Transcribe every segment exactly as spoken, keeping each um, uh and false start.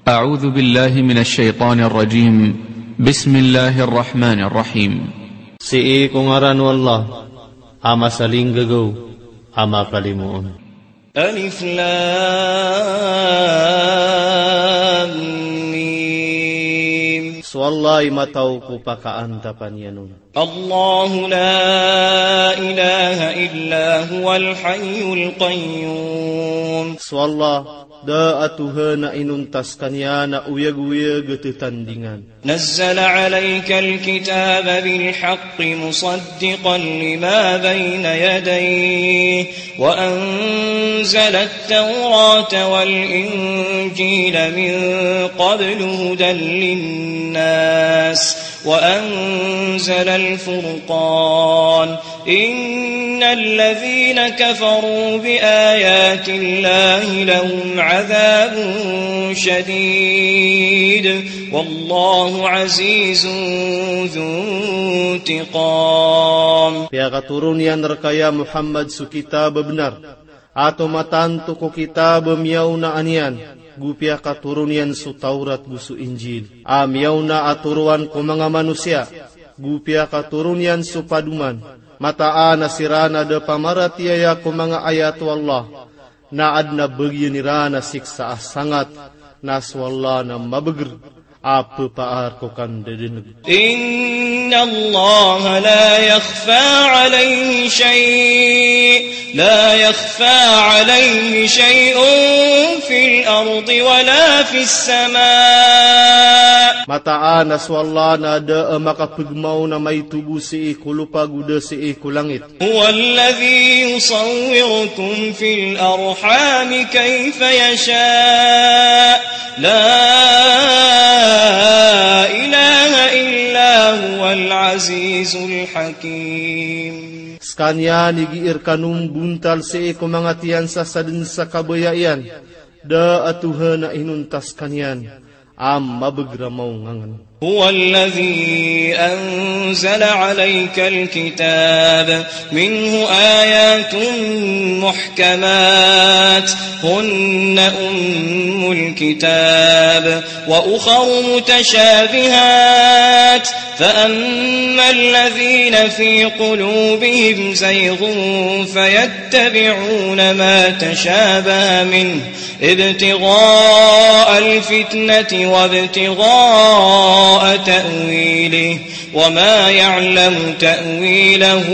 أعوذ بالله من الشيطان الرجيم. بسم الله الرحمن الرحيم. Sii ko ngaran o Allah a masalinggagaw a makalimoon. ألف لام ميم. So Allah i mataw ko pakaantapan iyan on. الله لا إله إلا هو الحي القيوم. So Allah, da a Tohan a inonta skaniyan a oyagoyag a tatandingan. نزل عليك الكتاب بالحق مصدقا لما بين يديه وأنزل التوراة والإنجيل من قبل هدى للناس وأنزل الفرقان إن الذين كفروا بآيات الله لهم عذاب شديد والله عزيز ذو انتقام. Piyakatoron iyan rka ya Muhammad so kitab a bnar a tomatanto ko kitab a miyaonaan iyan, go piyakatoron iyan so Tawrat go so Injil a miyaona a toroan ko manga manosiya, go piyakatoron iyan so padoman, mataan a siran a da pamaratiyaya ko manga ayat o Allah, na adn a bagian iran a siksa a sangat, na so Allah na mabagr a phaar ko kandadaneg. إن الله لا يخفى عليه شيء، لا يخفى عليه شيء في الأرض ولا في السماء. Mataan a so Allah na da a makapegmaw na maito bo sii ko lopa go da sii ko langit. هو الذي يصوركم في الأرحام كيف يشاء، لا إله إلا هو العزيز الحكيم. Skaniyan i gii rkano mbontal sii ko manga tiyan sa sadn sa kabaya iyan, da a Tohan a inonta skaniyan a mabagr a mawngangan. هو الذي أنزل عليك الكتاب منه آيات محكمات هن أم الكتاب وأخر متشابهات فأما الذين في قلوبهم زيغ فيتبعون ما تشابه منه ابتغاء الفتنة وابتغاء تأويله وما يعلم تأويله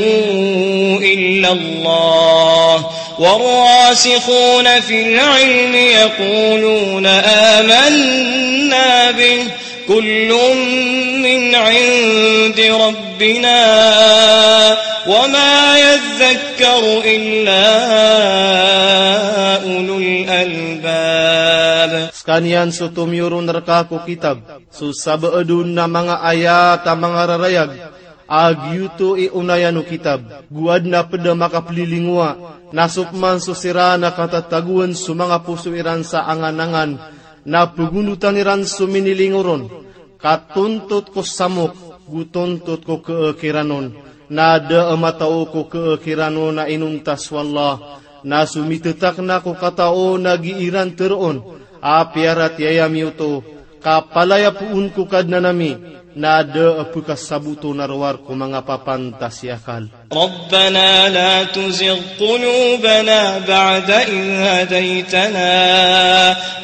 إلا الله والراسخون في العلم يقولون آمنا به كل من عند ربنا وما يذكر إلا أولو الألباب. Skaniyan so tomiyoron rka ko kitab, so sabaad on na manga ayat a mangararayag a giyoto i onayan o kitab, go adn a pd a makaplilingowa, na so pman so siran a katatagoan so manga poso iran sa anganangan, na pagondotan iran so minilingoron, ka tontot ko samok, go tontot ko keekiran on, na da a matao ko keekiran on a inonta so Allah, na so mitetakna ko katao na gii ran teroon a piyaratiyaya mi oto, ka palaya poon ko Kadnan ami, na da a pekasaboto na rowar ko manga papantas i akal. ربنا لا تزغ قلوبنا بعد إذ هديتنا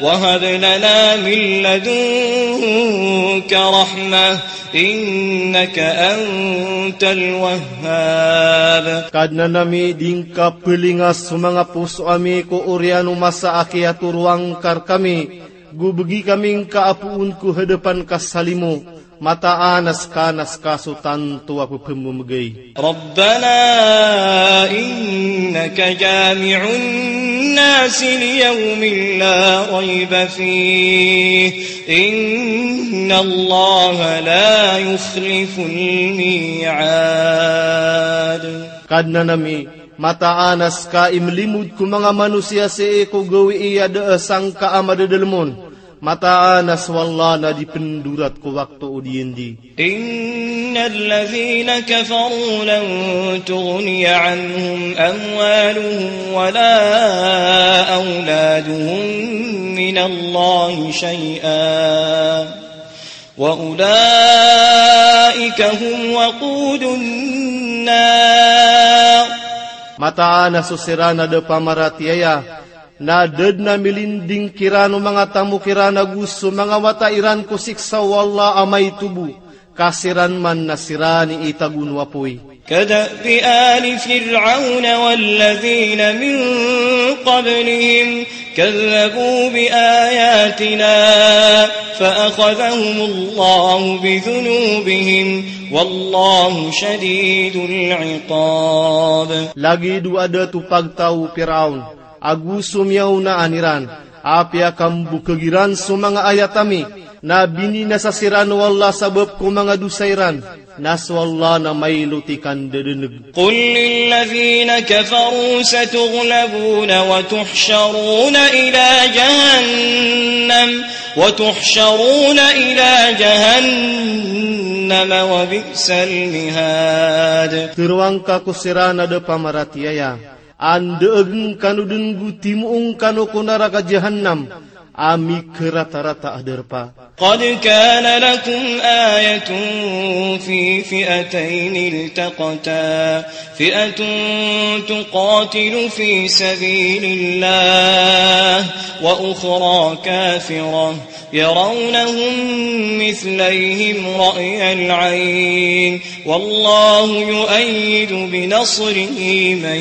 وهب لنا من لدنك رحمة إنك أنت الوهاب. Kadnan ami, di ngka pelinga so manga poso ami ko oriyan o masa a kiyatoroa ngka rkami, go begi kami ngka a poon ko hadapan ka sa limo, mataan a ska na ska so tanto a pepememegay. ربنا إنك جامع الناس ليوم لا ريب فيه إن الله لا يخلف الميعاد. Kadnan ami, mataan a ska i melimod ko manga manosiya sii ko gawii a da a sangka a madadalem on, Mataan a so Allah na di pndorat ko wakto o di andi. إن الذين كفروا لن تغني عنهم أموالهم ولا أولادهم من الله شيئا وأولئك هم وقود النار. Mataan a so siran a da pamaratiyaya na da dn a milinding kiran o manga tamok iran ago so manga wata iran ko siksa o Allah a maito bo, ka siran man na siran i itago o apoy. كدأب آل فرعون والذين من قبلهم كذبوا بآياتنا فأخذهم الله بذنوبهم والله شديد العقاب. Lagid o adat o pagtaw o Firaon ago so miyaonaan iran, a piyakambokag iran so manga ayat ami, na bininasa siran o Allah sabap ko manga dosa iran, na so Allah na mailot i kandadaneg. قل للذين كفروا ستغلبون وتحشرون إلى جهنم، وتحشرون إلى جهنم وبئس المهاد. Tharoang ka ko siran a da pamaratiyaya, andaag ngkano dn go timoong kano ko naraka Jahannam, a mikharatarata a darpa. قد كان لكم آية في فئتين التقتا، فئة تقاتل في سبيل الله وأخرى كافرة يرونهم مثليهم رأي العين والله يؤيد بنصره من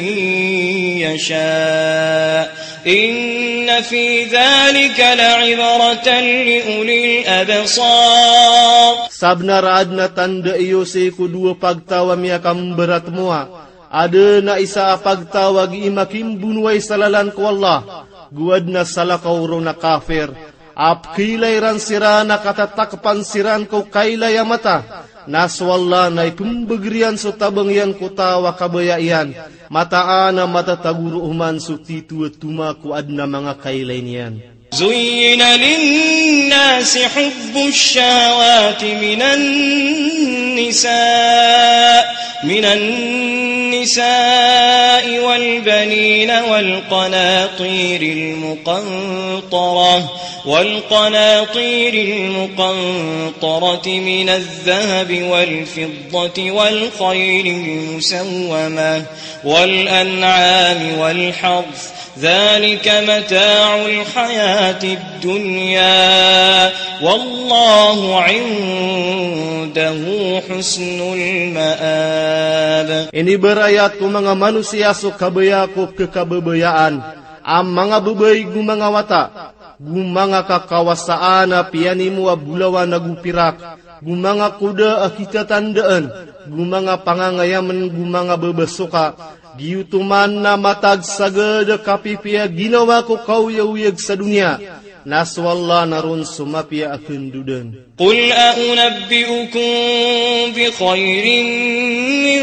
يشاء إن في ذلك لعبرة لأولي الأبصار. Sabnar a adn a tanda iyo sii ko dowa pagtaw a miyakambaratmowa, adn a isa a pagtaw a gii makimbonowai sa lalan ko Allah, go adn a salakaw ron a kafir, a pkhailay ran siran a katatakpan siran ko kailay a mata, na so Allah na ipmbagr iyan so tabang iyan ko taw a kabaya iyan, mataan a matatago roo man so tito a toma ko adn a manga kailay niyan. زين للناس حب الشهوات من النساء، من النساء والبنين والقناطير المقنطرة، والقناطير المقنطرة من الذهب والفضة والخيل المسومة والأنعام والحرث، ذلك متاع الحياة الدنيا والله عنده حسن المآب. Inibarayat ko manga manosiya so kabaya ko kekababayaan, a manga babay go manga wata, go manga kakawasaan a piyanimo a bolawan ago pirak, go manga koda a kitatandaan, go manga pangangayamn, go manga babasoka, giyoto man na matag sagad a kapipiya ginawa ko kaoyagoyag sa doniya, na so Allah na ron so mapiya a kandodan. قل أنبئكم بخير من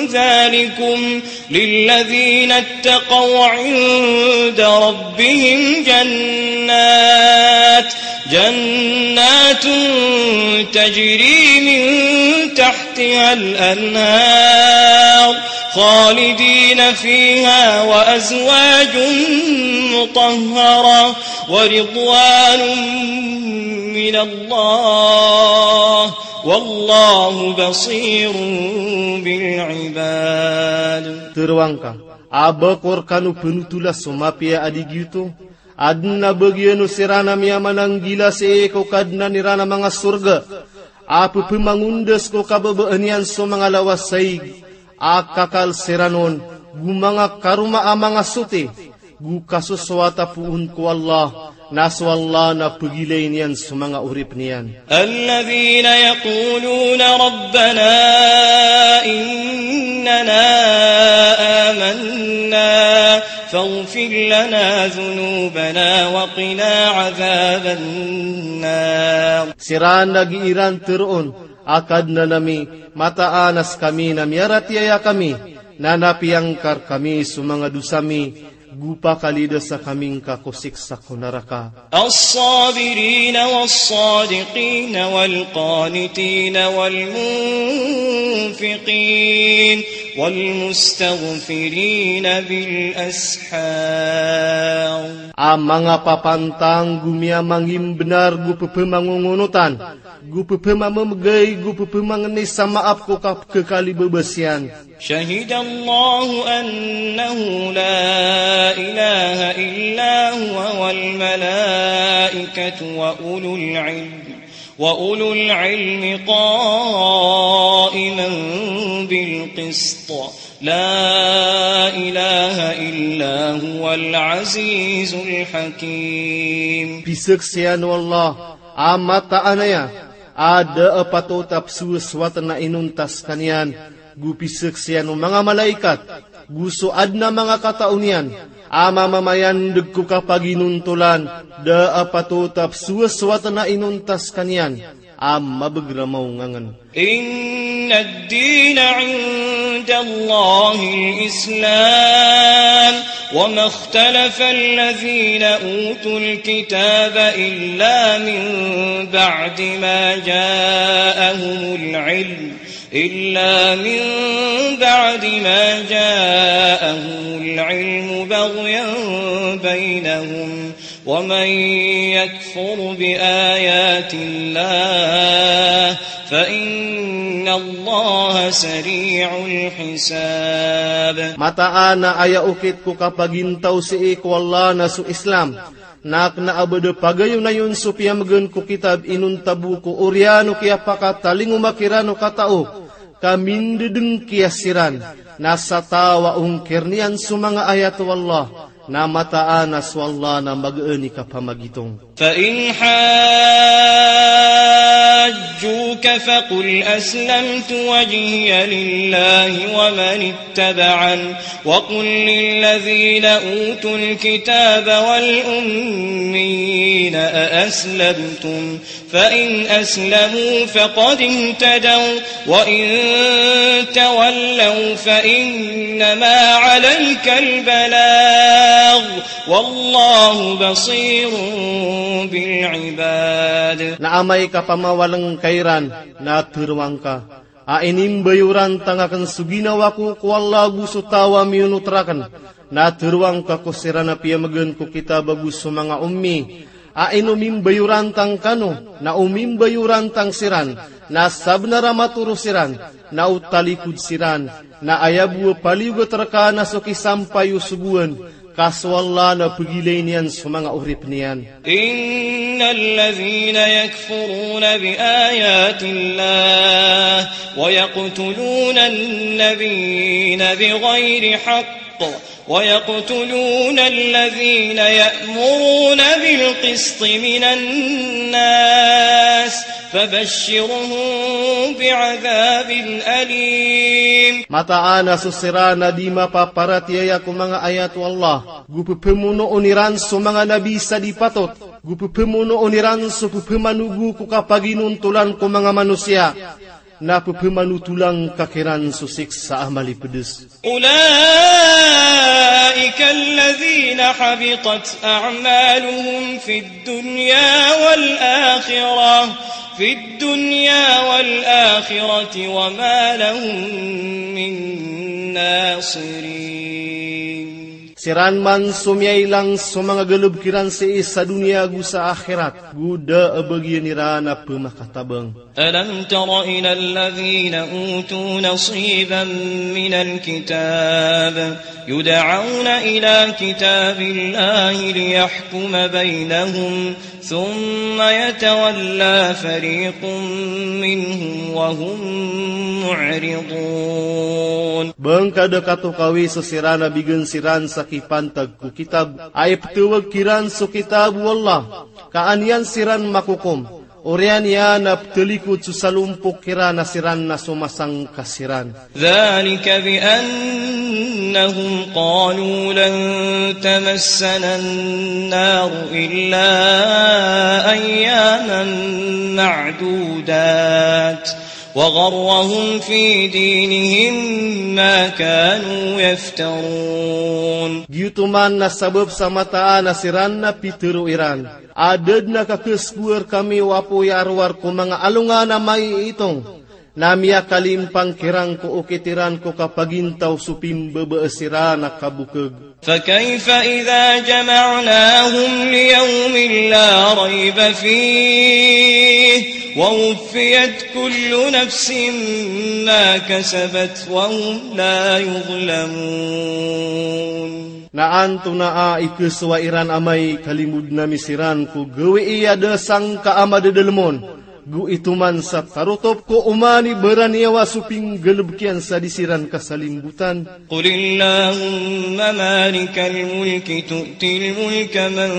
ذلكم للذين اتقوا عند ربهم جنات، جنات تجري من تحتها الأنهار خالدين فيها وأزواج مطهرة ورضوان من الله والله بصير بالعباد. Tharoang ka, a ba ko rkano pnotola so mapiya a di giyoto? Adn a bagian o siran a miyamananggila sii ko Kadnan iran a manga sorga, a pphamangondas ko kababaan iyan so manga lawas a ig, a kakal siran on, go manga karoma a manga soti, go kasosowat a poon ko Allah, na so Allah na pagilayn iyan so manga oripn iyan. الذين يقولون ربنا إننا آمنا فاغفر لنا ذنوبنا وقنا عذاب النار. Siran a gii ran tharoon a Kadnan ami, mataan a skami na miyaratiyaya kami, na na piyangkar kami so manga dosa mi, Go pakalidasa kami ngka ko siksa ko naraka. الصابرين والصادقين والقانتين والمنفقين والمستغفرين بالأسحار. A manga papantang go miyamangimbnar go pepemangongonotan, go pepemamemegay, go pepemangni sa maap ko kapekekali bebes iyan. شهد الله أنه لا إله إلا هو والملائكة وأولو العلم، وأولو العلم قائما بالقسط، لا إله إلا هو العزيز الحكيم. Pizaksian o Allah a mataan aya a da a patot a pesowasowat na inonta sekaniyan, go pizaksian o manga malaikat, go so aden a manga katao niyan a mamamayandeg ko kapaginontolan, da a patot a pesowasowat na inonta sekaniyan a mabeger a maongangen. إن الدين عند الله الإسلام وما اختلف الذين أوتوا الكتاب إلا من بعد ما جاءهم العلم، إلا من بعد ما جاءهم العلم بغيا بينهم، ومن يكفر بآيات الله فإن الله سريع الحساب. Mataan a aya okit ko kapagintaw sii ko Allah na so Islam, na kena a ba da pagayonayon so piyamegen ko kitab inonta bo ko oriyan o kiyapakatalingoma kiran o katao ka mindedengkiya siran, na sa taw a ongkir iyan so manga ayat o Allah, na mataan a so Allah na magaan i kapamagitong. فإن حاجوك فقل أسلمت وجهي لله ومن اتبعن، وقل للذين أوتوا الكتاب والأميين أأسلمتم، فإن أسلموا فقد اهتدوا، وإن تولوا فإنما عليك البلاغ، والله بصير بالعباد. Na amay ka pamawalengka iran, na teroang ka a inimbayoran tang aken so ginawa ko ko Allah ago so taw a miyonot raken. Na teroang ka ko siran a piyamegen ko kitab ago so manga ummi a inomimbayoran tang kano, na omimbayoran tang siran, na sabenar a matoro siran, na o talikod siran, na aya bo a paliyogat reka na so kisampay o sogoan, ka so Allah na pegilayn iyan so manga oripen iyan. إن الذين يكفرون بآيات الله ويقتلون النبيين بغير حق ويقتلون الذين يأمرون بالقسط من الناس فبشرهم بعذاب أليم. Mataan a so siran a di mapaparatiyaya ko manga ayat o Allah, go pepemonoon iran so manga nabi sa di patot, go pepemonoon iran so pepemanogo ko kapaginontolan ko manga manosiya, na pepemanotolan ka kiran so siksa a malipedes. أولئك الذين حبطت أعمالهم في الدنيا والآخرة، في الدنيا والآخرة وما لهم من ناصرين. Siran man so miyailang so manga galeb kiran sii sa doniya ago sa akhirat, go da a bagian iran a pemakatabang. ألم تر إلى الذين أوتوا نصيبا من الكتاب يدعون إلى كتاب الله ليحكم بينهم ثم يتولى فريق منهم وهم معرضون. Ba ngka da katokawi so siran a bigan siran sa kipantag ko kitab a ipetawag kiran so kitab o Allah, ka an iyan siran makokom. Oriyan iyan a petalikod so salompok kiran a siran na so masangka siran. ذلك بأنهم قالوا لن تمسنا النار إلا أياما معدودات، وغرهم في دينهم ما كانوا يفترون. Giyoto man na sabap sa mataan a siran na pitharo iran a da dn a kakhaskowa rkami o apoy a rowar ko manga alongan a maiitong, na miyakalimpang kiran ko okit iran ko kapagintaw so pimbabaa siran a kabokeg. فكيف إذا جمعناهم ليوم لا ريب فيه ووفيت كل نفس ما كسبت وهم لا يظلمون. Na antonaa i khasowa iran amay kalimod ami siran ko gawii a da sangka a madadalem on, go ito man sa tarotop ko oman i baraniyawa so pinggalebek iyan sa di siran kasalimbotan. قل اللهم مالك الملك تؤتي الملك من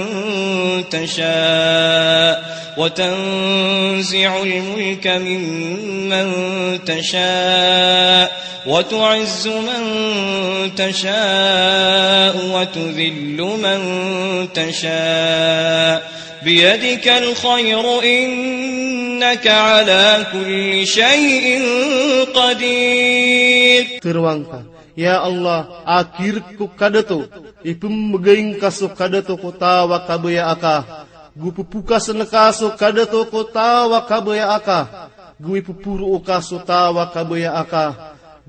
تشاء وتنزع الملك ممن تشاء وتعز من تشاء وتذل من تشاء بيدك الخير إنك على كل شيء قدير. Tharoang ka, Ya Allah, a kirek ko kadato, ipmbgay ngka so kadato ko taw a kabayaa ka, go pphokasn ka so kadato ko taw a kabayaa ka, go ipphoro ka so taw a kabayaa ka,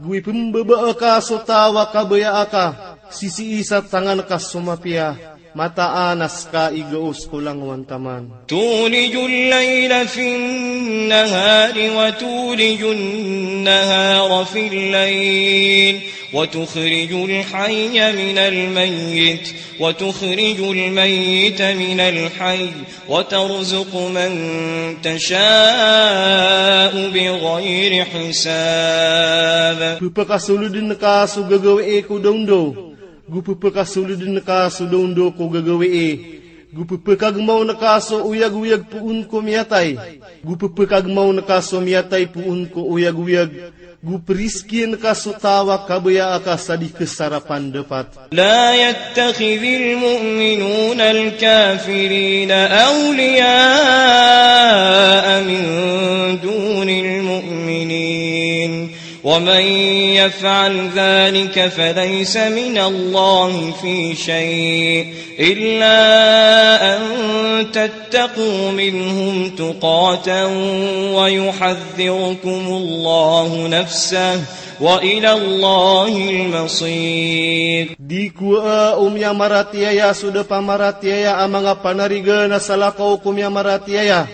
go ipmbabaa ka so taw a kabayaa ka, sisii sa tangan ka so mapiya, mataan a ska i gaos ko langowan taman. تولج الليل في النهار وتولج النهار في الليل وتخرج الحي من الميت وتخرج الميت من الحي وترزق من تشاء بغير حساب. Pphakasolodn ka so gagawii ko dawndaw, go pphakasolodn ka so dawndaw ko gagawii, go pphakagmawn ka so oyagoyag poon ko miyatay, go pphakagmawn ka so miyatay poon ko oyagoyag, go prizkiin ka so taw a kabayaa ka sa di ksarapan dapat. لا يتخذ المؤمنون الكافرين أولياء من دون المؤمنين ومن يفعل ذلك فليس من الله في شيء إلا أن تتقوا منهم تقاة ويحذركم الله نفسه وإلى الله المصير. Di ko a o miyamaratiyaya so da pamaratiyaya a manga panarigan a salakaw ko miyamaratiyaya,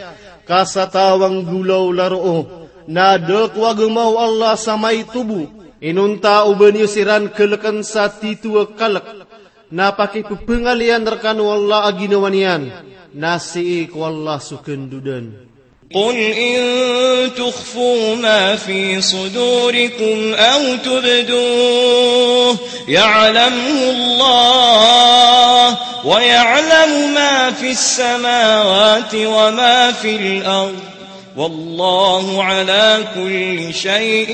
ka sa taw a nggolaola roo, na da ko agama o Allah sa maito bo. Inonta o ba niyo siran kaleken sa tito a kalek, na pakipphangalin iyan rekano o Allah a ginawa niyan, na sii ko Allah so kandodan. قل إن تخفوا ما في صدوركم أو تبدوه يعلمه الله ويعلم ما في السماوات وما في الأرض والله على كل شيء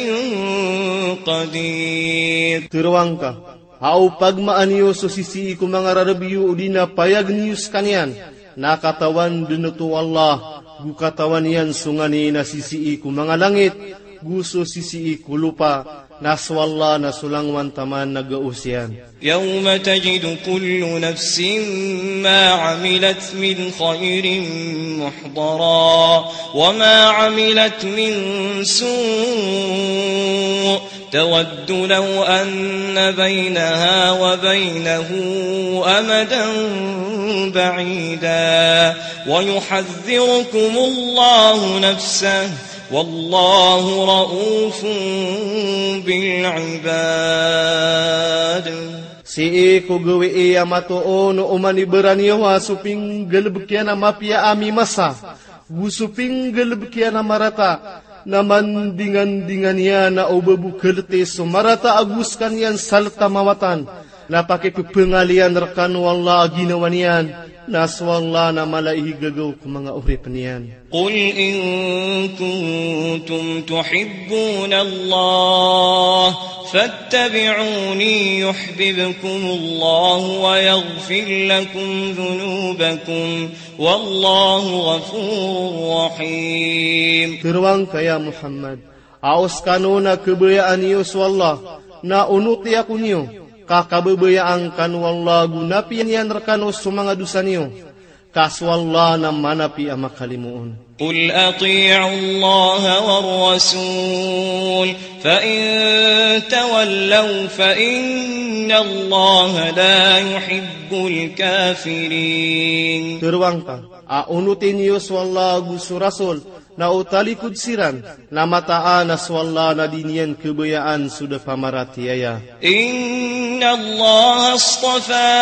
قدير. Tharoang ka, a o pagmaan iyo so sisii ko manga rarb iyo odi na payag niyo skaniyan, na katawan dn oto o Allah, go katawan iyan so nganin a sisii ko manga langit, go so sisii ko lopa, na so Allah na so langowan taman a gaos iyan. يوم تجد كل نفس ما عملت من خير محضرا وما عملت من سوء تود لو أن بينها وبينه أمدا بعيدا ويحذركم الله نفسه والله رءوف بالعباد. Sii ko gawii a matoon o oman i baraniyawa so pinggalebek iyan a mapiya a mimasa, go so pinggalebek iyan a marata, na mandingandingan iyan a o ba bo kaleti so marata ago skaniyan sa let a mawatan, na pakipphangalin iyan rekano o Allah a ginawa niyan, na so Allah na mala i gagaw ko manga oripn iyan. قل إن كنتم تحبون الله فاتبعوني يحببكم الله ويغفر لكم ذنوبكم والله غفور رحيم. Tharoang ka, ya Muhammad, A o skano na khabayaan iyo so Allah, na onoti ako niyo, ka kababayaan kano o Allah ago napiya niyan rkano so manga dosa niyo. Ka so Allah na manapi a makalimoon. قل أطيعوا الله والرسول فإن تولوا فإن الله لا يحب الكافرين. Tharoang ka, a onoti niyo so Allah ago so Rasul, na o talikod siran, na mataan a so Allah na di niyan khabayaan so da pamaratiyaya. إن الله اصطفى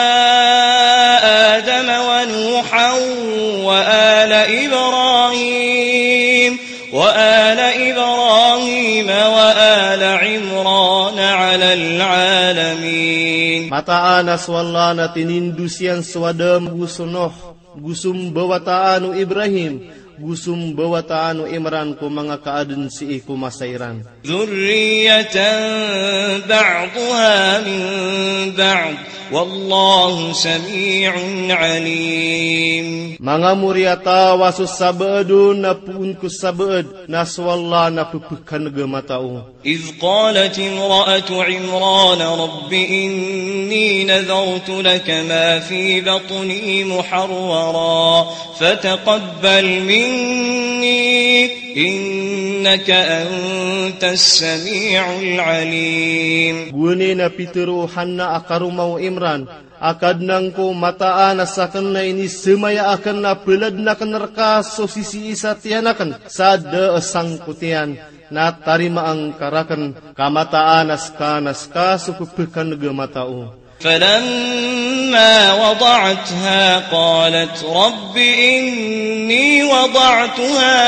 آدم ونوحا وآل إبراهيم وآل إبراهيم وآل عمران على العالمين. Mataan a so Allah na tinindos iyan so Adam ago so Nuh, go so mbawataan o Ibrahim, go so mbawataan o Imran ko manga kaadn sii ko masa iran. ذرية بعضها من بعض والله سميع عليم. Manga moriyataw a so sabaad on na poon ko sabaad, na so Allah na pphakan'g a matao. إذ قالت امرأة عمران رب إني نذرت لك ما في بطني محررا فتقبل مني إنك أنت السميع العليم. Gowani na pitharo o Hanna a karoma o Imran, a Kadnan ko, mataan a sakn na inisamaya akn a pladn akn rka so sisii sa tiyan akn sa da a sangkotiyan, na tarimaan ka rakn, ka mataan a ska na ska so pphakan'g a matao. فلما وضعتها قالت رب إني وضعتها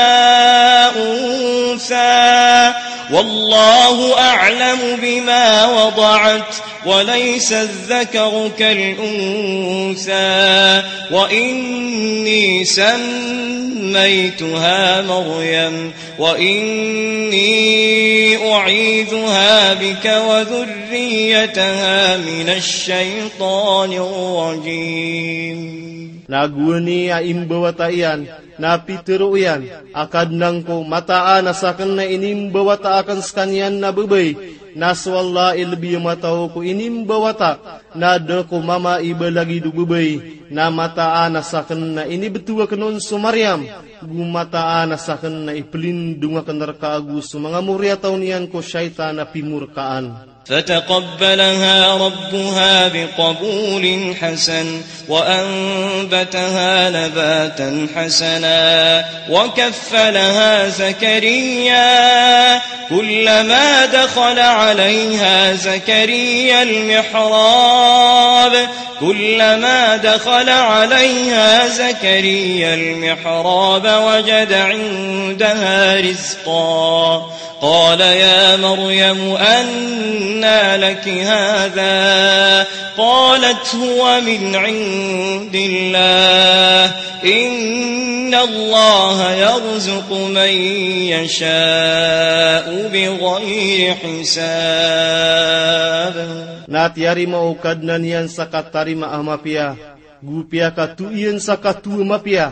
أنثى والله أعلم بما وضعت وليس الذكر كالأنثى وإني سميتها مريم وإني أعيذها بك وذريتها من الشيطان الرجيم. Na gowani a imbawata iyan, na pitharo iyan a Kadnan ko, mataan a sakn na inimbawata akn skaniyan na babay, na so Allah i lbi a matao ko inimbawata, na da ko mama i balagid o babay, na mataan a sakn na inibto akn on so Maryam, go mataan a sakn na iplindong akn rka ago so manga moriyataw niyan ko shaytan a pimorkaan. فتقبلها ربها بقبول حسن وأنبتها نباتا حسنا وكفلها زكريا كلما دخل عليها زكريا المحراب كلما دخل عليها زكريا المحراب وجد عندها رزقا قال يا مريم أنى لك هذا قالت هو من عند الله إن الله يرزق من يشاء بغير حساب. Na tiyarima o Kadnan iyan sa katarima a mapiya, go piyakatoon iyan sa katoon a mapiya,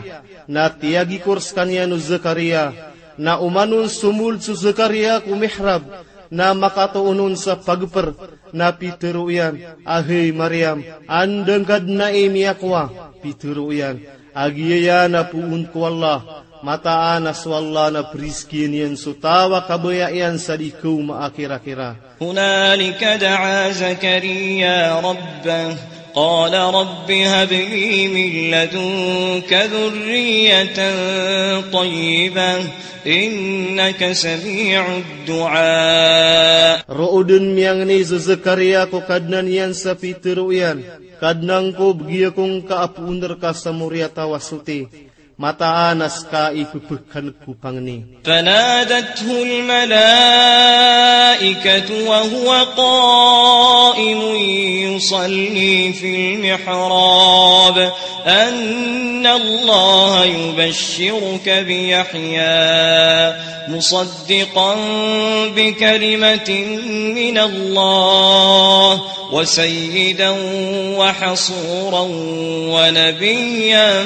na tiyagikor skaniyan o Zakariya, na oman on somold so Zakariya ko mihrab, na makatoon on sa pagpr, na pitharo iyan a hay Maryam, anda ngka dn ai miyakowa? Pitharo iyan a giyaya na poon ko Allah, mataan a so Allah na priskiyan iyan so taw a kabaya iyan sa di kawma a kirakira. هنالك دعا زكريا ربه قال رب هب لي من لدنك ذرية طيبة إنك سميع الدعاء. Roo dn miyangni so Zakariya ko Kadnan iyan sa pitharo iyan, Kadnan ko, bgi ako ngka a poon rka sa moriyataw a soti. Mataan a ska i pphakan'g ko pangni. فنادته الملائكة وهو قائم يصلي في المحراب أن الله يبشرك بيحيى مصدقا بكلمة من الله وسيدا وحصورا ونبيا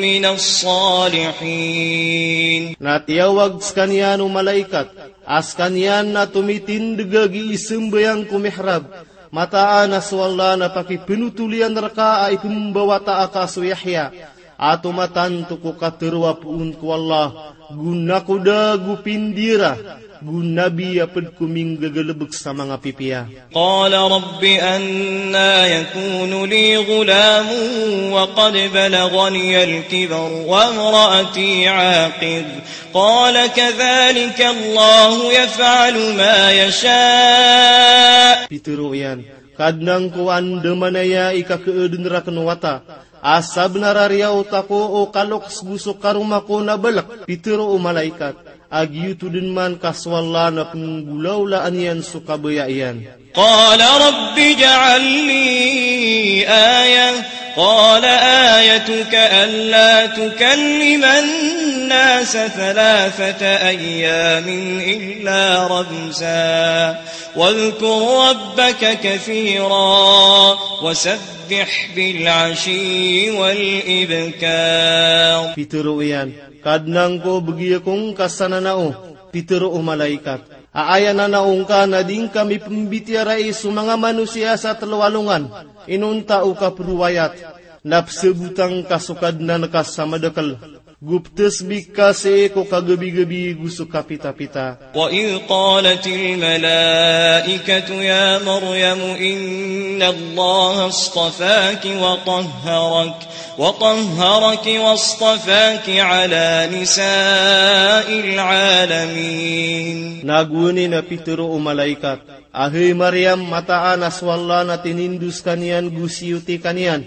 من الصالحين. Na tiyawag skaniyan o malaikat a skaniyan na tomitindg a gii sambayang ko mihrab, mataan a so Allah na pakipnotol iyan rka a ipmbawata aka so Yahya, a tomatanto ko katharo a poon ko Allah, go nakoda, go pindira, go nabi a pd ko minggagalbk sa manga pipiya. قال رب أنى يكون لي غلام وقد بلغني الكبر وامرأتي عاقر قال كذلك الله يفعل ما يشاء. Pitharo iyan, Kadnan ko, anda manaya i kakhaadn rakn o wata a sabnar a riyaot ako o kaloks go so karoma ko na balk. Pitharo o malaikat a giyoto dn man ka so Allah na pnggolawlaan iyan so kabaya iyan. قال رب اجعل لي آية قال آيتك ألا تكلم الناس ثلاثة أيام إلا رمزا واذكر ربك كثيرا وسبح بالعشي والإبكار. Pitharo iyan, Kadnan ko, bgi ako ngka sa nanao. Pitharo o malaikat a aya nanao ngka na di ngka mipmbitiyarai so manga manosiya sa tlo a alongan. Inonta o kapriwayat na pzabota ngka so Kadnan ka sa madakl, go ptasbih ka sii ko kagabigabi go so kapitapita. وإذ قالت الملائكة يا مريم إن الله اصطفاك وطهرك وطهرك واصطفاك على نساء العالمين. Na gowani na pitharo o malaikat a, hay Maryam, mataan a so Allah na tinindo skaniyan go siyoti kaniyan,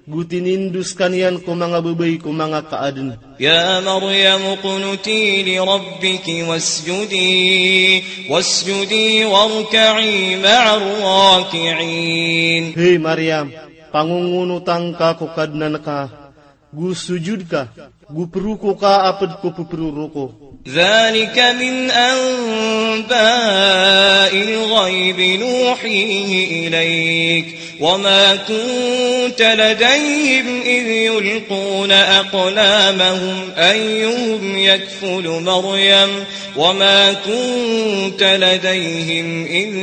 go tinindo skaniyan ko manga babay ko manga kaadn. يا مريم اقنتي لربك واسجدي، واسجدي واركعي مع الراكعين. Hay Maryam, pangongonota ngka ko Kadnan ka, go sojod ka, go proko ka a pd ko pproroko. ذلك من أنباء الغيب نوحيه إليك وما كنت لديهم إذ يلقون أقلامهم أيهم يكفل مريم وما كنت لديهم إذ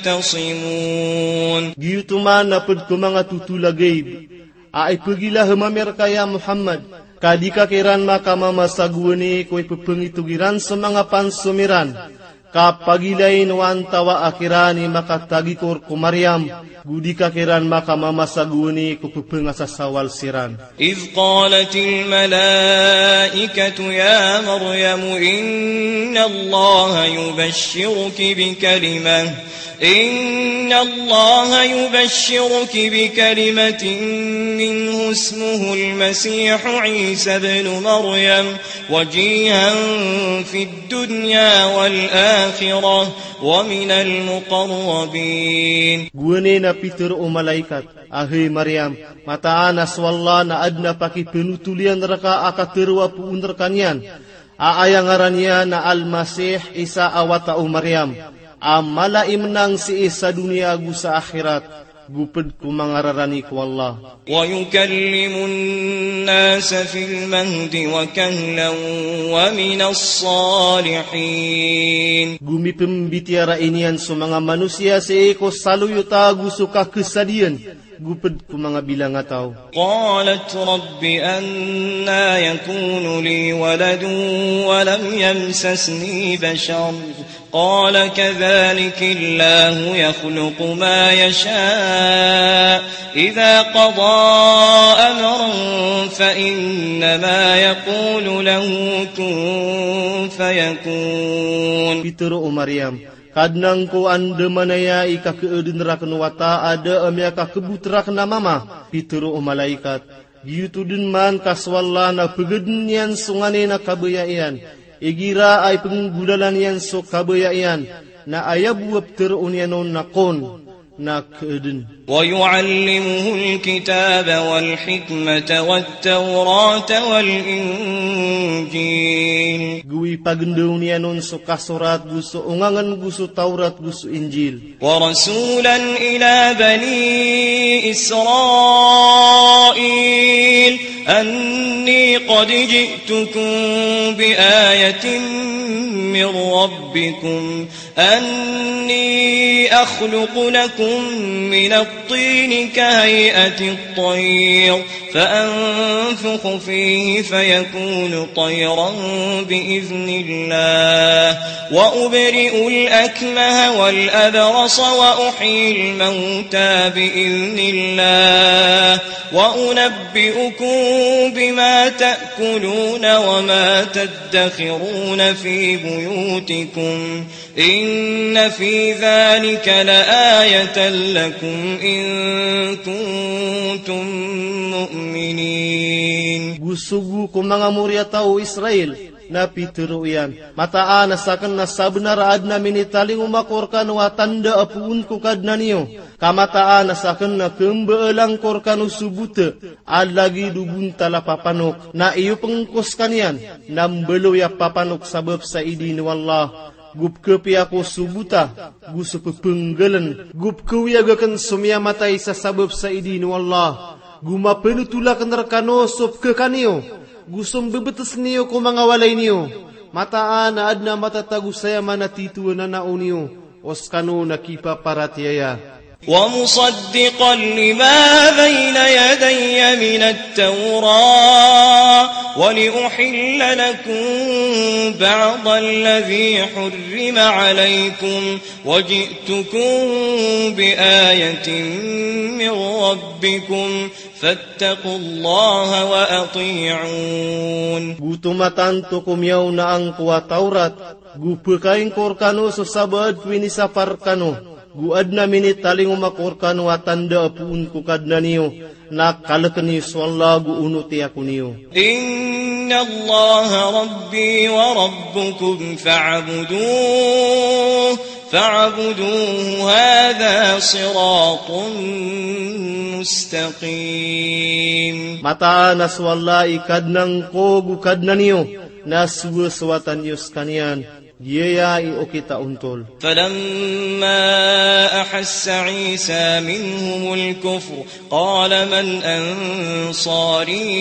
يختصمون. Giyoto man a pd ko manga totol a gayb a ipagilaham ami rka ya Muhammad, ka di ka kiran makamamasa gowani ko ipphangitog iran so manga pansomi ran, ka pagilain o antawaa kiran i makatagikor ko Maryam, go di ka kiran makamamasa gowani ko pphangasasawal siran. إذ قالت الملائكة يا مريم إن الله يبشرك بكلمة إن الله يبشرك بكلمة منه اسمه المسيح عيسى ابن مريم وجيها في الدنيا والآخرة ومن المقربين. Gowani na pitharo o malaikat a, hay Maryam, mataan a so Allah na adn a pakipnotol iyan rka a katharo a poon rkaniyan, a aya ngaran iyan na Al-Masih, Isa a wata o Maryam, a mala i mnang sii sa doniya ago sa akhirat, go pd ko manga rarani ko Allah. ويكلم الناس في المهد وكهلا ومن الصالحين. Go mipmbitiyarai niyan so manga manosiya sii ko saloy o taw go so kakhasadiyan, go pd ko manga bilangataw. قالت رب أنى يكون لي ولد ولم يمسسني بشر قال كذلك الله يخلق ما يشاء إذا قضى أمرا فإنما يقول له كن فيكون. Pitharo o Maryam, Kadnan ko, anda manaya i kakhaadn rakn o wata a da a miyakakbot rakn a mama. Pitharo o malaikat, giyoto dn man ka so Allah na pgadn iyan so nganin a kabaya iyan, igira a ipnggolalan iyan so kabaya iyan, na aya bo a ptharoon iyan on na kun, na khaadn. ويعلمه الكتاب والحكمة والتوراة والإنجيل. Go Ipagendaw niyan on so kasorat go so ongangen go so Tawrat go so Injil. ورسولا إلى بني إسرائيل أني قد جئتكم بآية من ربكم أني أخلق لكم من الطين كهيئة الطير فأنفخ فيه فيكون طيرا بإذن الله وأبرئ الأكمه والأبرص وأحيي الموتى بإذن الله وأنبئكم بما تأكلون وما تدخرون في بيوتكم إن في ذلك لآية لكم إن كنتم مؤمنين. Go sogo ko manga moriyataw o Israel na pitharo iyan, mataan a saken na sabenar a aden a minitalingoma ko rekano a tanda a poon ko Kadnan iyo. Ka mataan a saken na kembaalan ko rekano so bota a lagid o bontal a papanok. Na iyopeng ko sekaniyan na mbaloy a papanok sabap sa idin o Allah. Go pekepiya ko so bota go so pepenggelen. Go pekeoyag aken so miyamatay sa sabap sa idin o Allah. Go mapenotol aken rekano so pekekan iyo go so mbebetesen iyo ko manga walay niyo. Mataan a aden a matatago saya manatito a nanao niyo o sekano na kipaparatiyaya. ومصدقا لما بين يدي من التوراة ولأحل لكم بعض الذي حرم عليكم وجئتكم بآية من ربكم فاتقوا الله وأطيعون. Go tomatanto ko miyaona angko a Tawrat, go pekaing ko rekano so sabaad ko inisapar rekano. Go aden a minitalingoma ko rekano a tanda a poon ko Kadnan iyo, na kaleken iyo so Allah go onoti ako niyo. إن الله ربي وربكم فاعبدوه، فاعبدوه، هذا صراط مستقيم. Mataan a so Allah i Kadnan ko go Kadnan iyo, na sowasowatan iyo sekaniyan. Giyaya i okit a ontol. فلما أحس عيسى منهم الكفر قال من أنصاري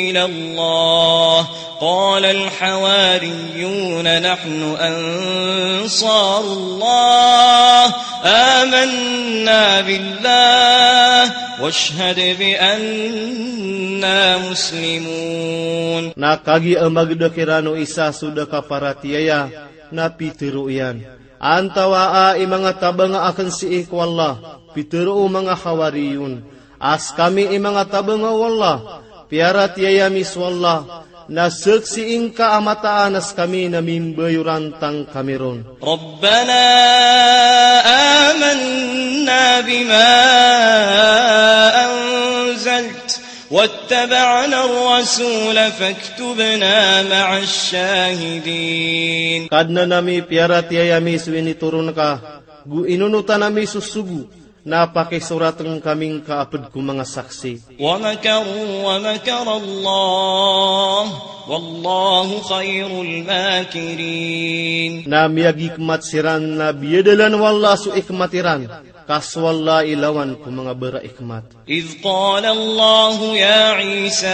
إلى الله قال الحواريون نحن أنصار الله آمنا بالله واشهد بأننا مسلمون. Na kagiya mageda kiran o Isa so da kaparatiyaya, na pitharo iyan, antawaa i manga tabanga aken sii ko Allah? Pitharo o manga Hawariyun a sekami i manga tabanga o Allah, piyaratiyaya mi so Allah, na saksii ngka a mataan a sekami na mimbayoran tangkami ron. ربنا آمنا بما أنزلت واتبعنا الرسول فاكتبنا مع الشاهدين. Kadnan ami, piyaratiyaya mi so initoron ka, go inonotan ami so sogo, na pakisoraten kami ngka a ped ko manga saksi. ومكروا ومكر الله والله خير الماكرين. Na miyagikmat siran, na biyadalan o Allah so ikmat iran, ka so Allah i lawan ko manga baraikmat. إذ قال الله يا عيسى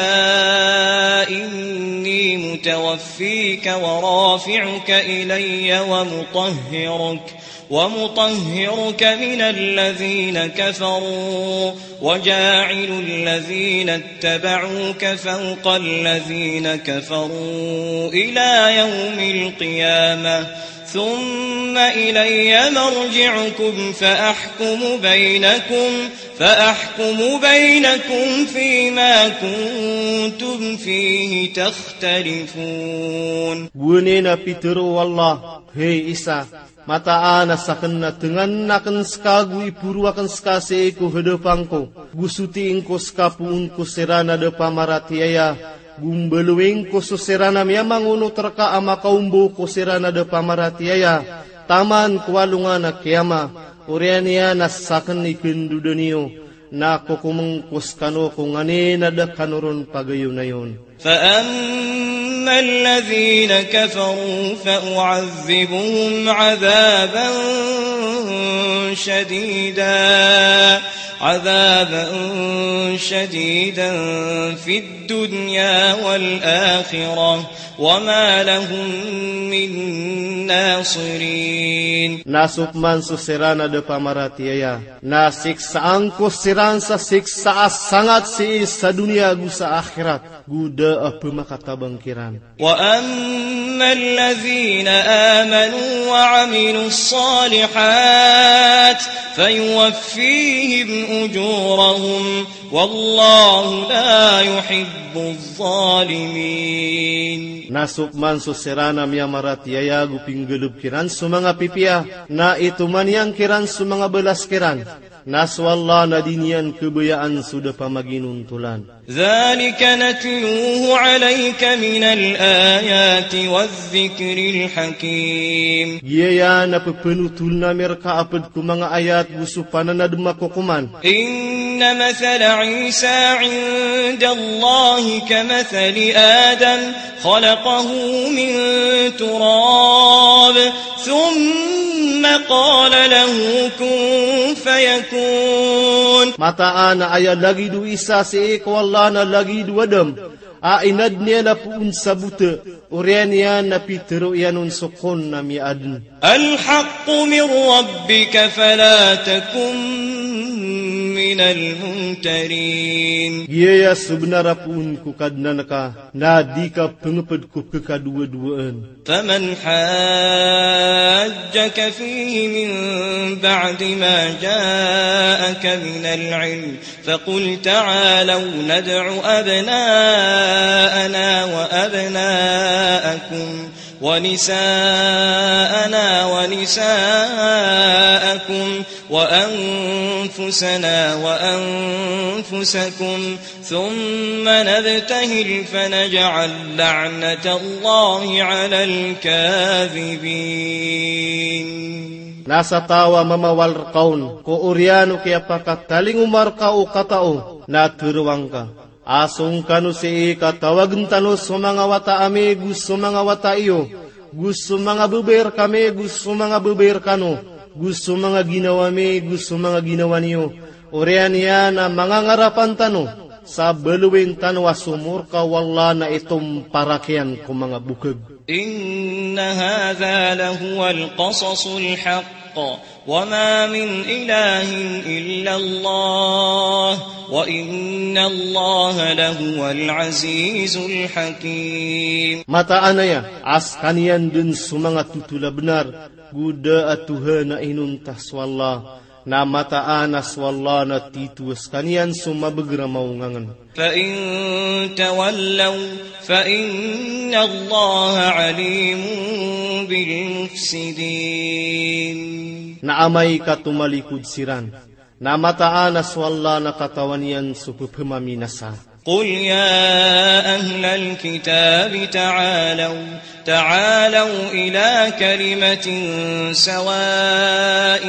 إني متوفيك ورافعك إلي ومطهرك ومطهرك من الذين كفروا وجاعل الذين اتبعوك فوق الذين كفروا إلى يوم القيامة ثم إلي مرجعكم فأحكم بينكم فأحكم بينكم فيما كنتم فيه تختلفون. Gowani na pitharo o Allah, hay Isa, mataan a saken na tenganen aken seka go iporo aken seka sii ko hadapan ko, go sotiin ko seka poon ko siran a da pamaratiyaya, go mbaloyin ko so siran a miyamangonot reka a makaombo ko siran a da pamaratiyaya, taman ko alongan a kiyama, oriyan iyan a saken i kendodan iyo, na kokomen ko sekano ko nganin a da kano ron pagayonayon. فأما الذين كفروا فأعذبهم عذابا شديدا، عذابا شديدا في الدنيا والآخرة وما لهم من ناصرين. Na so pman so siran a da pamaratiyaya, na siksaan ko siran sa siksa a sangat sii sa doniya ago sa akhirat, go da a pmakatabang kiran. وأما الذين آمنوا وعملوا الصالحات فيوفيهم أجورهم والله لا يحب الظالمين. Na so pman so siran a miyamaratiyaya go pinggalbk iran so manga pipiya, na itoman iyan kiran so manga balas kiran, na so Allah na di niyan khabayaan so da pamaginontolan. ذلك نتلوه عليك من الآيات والذكر الحكيم. Giyaya na pphanotoln ami rka a pd ko manga ayat go so pananadm a kokoman. إن مثل عيسى عند الله كمثل آدم خلقه من تراب ثم قال له كن فيكون. Mataan a aya lagid o Isa sii ko Allah na lagid o Adam, a inadn iyan a poon sa bota, oriyan iyan na pitharo iyan on so kun na miyaadn. الحق من ربك فلا تكن من الممترين. Giyaya so bnar a poon ko Kadnan ka, na di ka pngpd ko pkhadowadowaan. فمن حاجك فيه من بعد ما جاءك من العلم فقل تعالوا ندع أبناءنا وأبناءكم ونساءنا ونساءكم وأنفسنا وأنفسكم ثم نبتهل فنجعل لعنة الله على الكاذبين. Na sa taw a mamawal rka on ko oriyan o kiyapakatalingoma rka o katao, na tharoang ka a song kano sii ka tawagn tano so manga wata ami go so manga wata iyo, go so manga babay rkami go so manga babay rkano, go so manga ginawa mi go so manga ginawa niyo, oriyan iyan a manga ngarapan tano sa baloyin tano a so morka o Allah na itomparak iyan ko manga bokag. إن هذا لهو القصص الحق وما من إله إلا الله وإن الله لهو العزيز الحكيم. Mataan aya a skaniyan dn so manga totol a bnar, go da a Tuhan a inonta so Allah, na mataan a so Allah na tito a skaniyan so mabagr a maongangn. فإن تولوا فإن الله عليم بالمفسدين. Na amay ka tomalikod siran, na mataan a so Allah na katawan iyan so ppmaminasa. قل يا أهل الكتاب تعالوا، تعالوا إلى كلمة سواء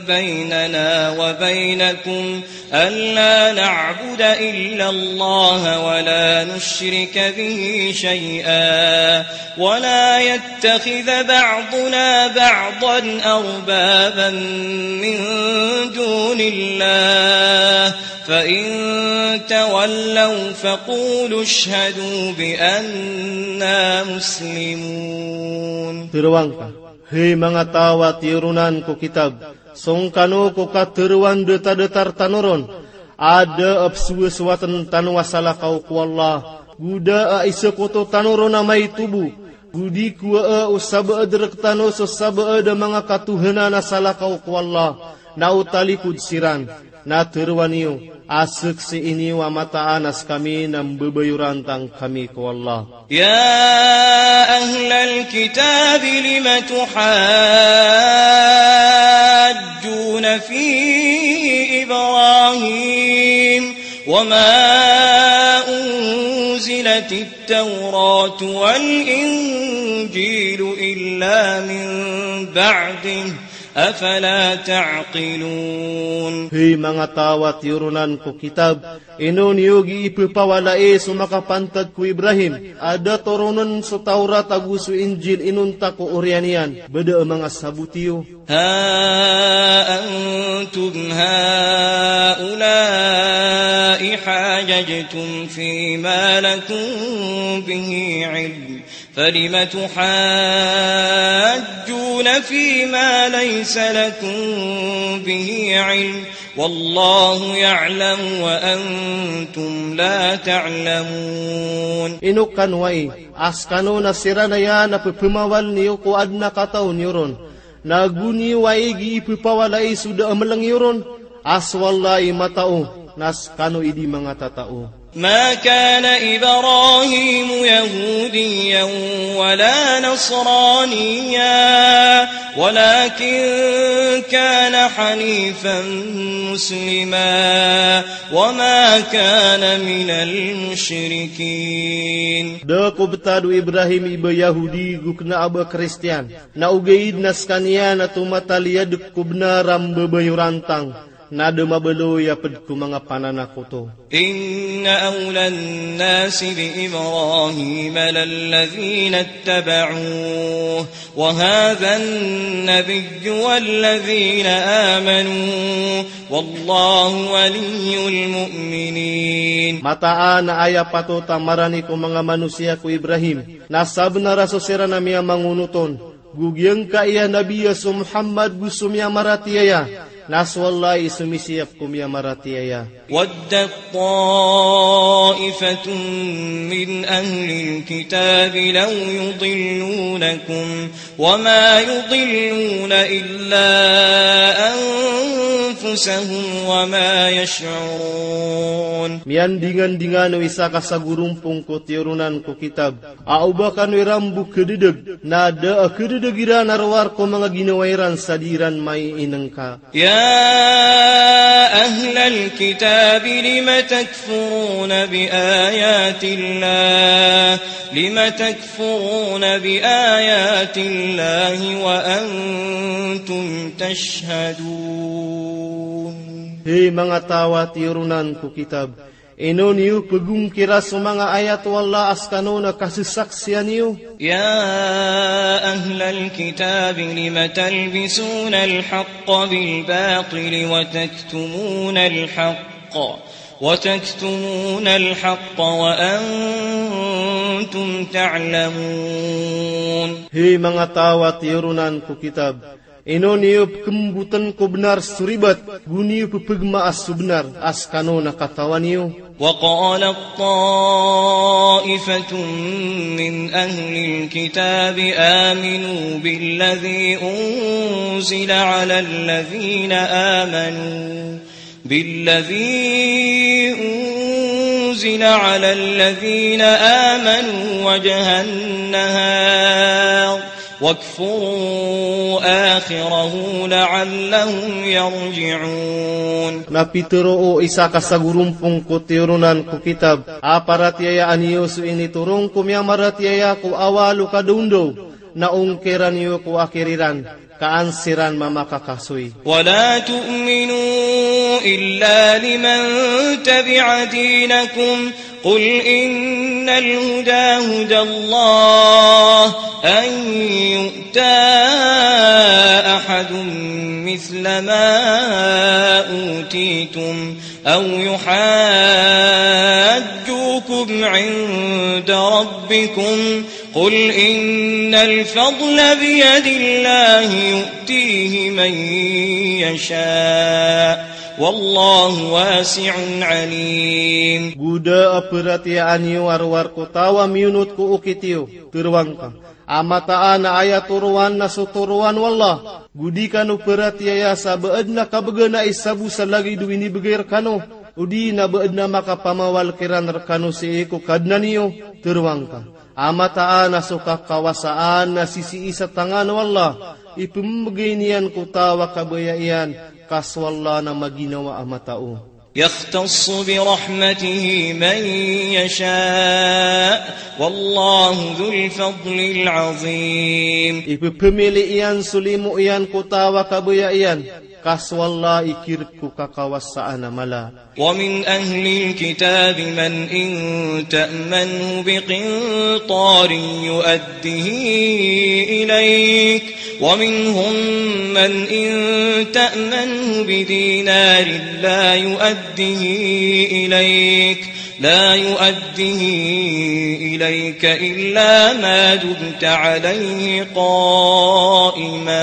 بيننا وبينكم ألا نعبد إلا الله ولا نشرك به شيئا ولا يتخذ بعضنا بعضا أربابا من دون الله فإن تولوا فقولوا اشهدوا بأنا مسلمون. Tharoang ka, hay manga taw a tiyoronan ko kitab, song kano ko katharoan datadatar tano ron a da a pzowasowatn tano a salakaw ko Allah, go da a isakoto tano ron a maito bo, go di kowaa o sabaad rktano so sabaad a manga katohanan a salakaw ko Allah, na o talikod siran, na tharoa niyo a saksii niyo a mataan a skami na mbabayorantang kami ko Allah. يا أهل الكتاب لم تحاجون في إبراهيم وما أنزلت التوراة والإنجيل إلا من بعده أفلا تعقلون؟ Hay manga taw a tiyoronan ko kitab, ino niyo gii pepawalai so makapantag ko Ibrahim a da toronen so Tawrat ago so Injil inonta ko oriyan iyan, ba da a manga sabot iyo? ها أنتم هؤلاء حاججتم فيما لكم به علم، فلم تحاجون فيما ليس لكم به علم، والله يعلم وأنتم لا تعلمون. Ino kano ai a skano na siran aya na pepemawal niyo ko aden a kataw niyo ron, na go niyo ai gii pepawalai so da a meleng iyo ron, a so Allah i matao, na skano i di manga tatao. ما كان إبراهيم يهوديا ولا نصرانيا ولكن كان حنيفا مسلما وما كان من المشركين. Da ko betad o Ibrahim i ba Yahudi go kena a ba Kristiyan. Na ogaid na sekaniyan na tomataliyad ko benar a mbabayorantang, na da mabaloy a ped ko manga pananakoto. إن أولى الناس بإبراهيم للذين اتبعوه وهذا النبي والذين آمنوا والله ولي المؤمنين. Mataan a aya patot a marani ko manga manosiya ko Ibrahim, na sabenar a so siran a miyamangonot on, go giyangkaya nabi a so Muhammad go so miyamaratiyaya, na so Allah i somisiyap ko miyamaratiyaya. ودت طائفة من أهل الكتاب لو يضلونكم وما يضلون إلا أنفسهم وما يشعرون. Miyandingandingan o isa ka sagorompong ko tiyoronan ko kitab a o ba kano iran bo kededeg, na da a kededeg iran a rowar ko manga ginawa iran sa di iran maiinengka. يا أهل الكتاب لم تكفرون بآيات الله، لم تكفرون بآيات الله وأنتم تشهدون. Hay manga taw a tiyoronan ko kitab, ino niyo pegongkira so manga ayat o Allah a sekano na kasesaksiyan iyo? يا أهل الكتاب لم تلبسون الحق بالباطل وتكتمون الحق، وتكتمون الحق وأنتم تعلمون. Hay manga taw a tiyoronan ko kitab, ino niyo pekemboten ko benar so ribat, go niyo pepegmaa so benar a sekano na katawan iyo? وقالت طائفة من أهل الكتاب آمنوا بالذي أنزل على الذين آمنوا بالذي أنزل على الذين آمنوا وجه النهار واكفروا آخره لعلهم يرجعون. Na pitero o isa ka sagorompong ko tiyoronan ko kitab a paratiyayaan iyo so initoron ko miyamaratiyaya ko awal o kadaondaw, na ongkiran iyo ko akhir iran, ka an siran mamakakasoy. ولا تؤمنوا إلا لمن تبع دينكم، قل إن الهدى هدى الله أن يؤتى أحد مثل ما أوتيتم أو يحاجوكم عند ربكم، قل إن الفضل بيد الله يؤتيه من يشاء والله واسع عليم. Go da a peratiyayaan iyo a rowar ko taw a miyonot ko okit iyo, tero angka a mataan a aya toroan na so toroan o Allah, go di kano peratiyaya sa ba aden a kabegana i sabo sa lagid o inibegay rekano, odi na ba aden a makapamawal kiran rekano sii ko Kadnan iyo, tero angka a mataan a so kakawasaan na sisii sa tangan o Allah, ipembegay niyan ko taw a kabaya iyan, ka so Allah na maginawa a matao. يختص برحمته من يشاء والله ذو الفضل العظيم. Ipepemili iyan so limo iyan ko taw a kabaya iyan, ka so Allah i kirek ko kakawasaan a mala. ومن أهل الكتاب من إن تأمنه بقنطار يؤده إليك، ومنهم من إن تأمنه بدينار لا يؤده إليك، لا يؤده إليك إلا ما دمت عليه قائما.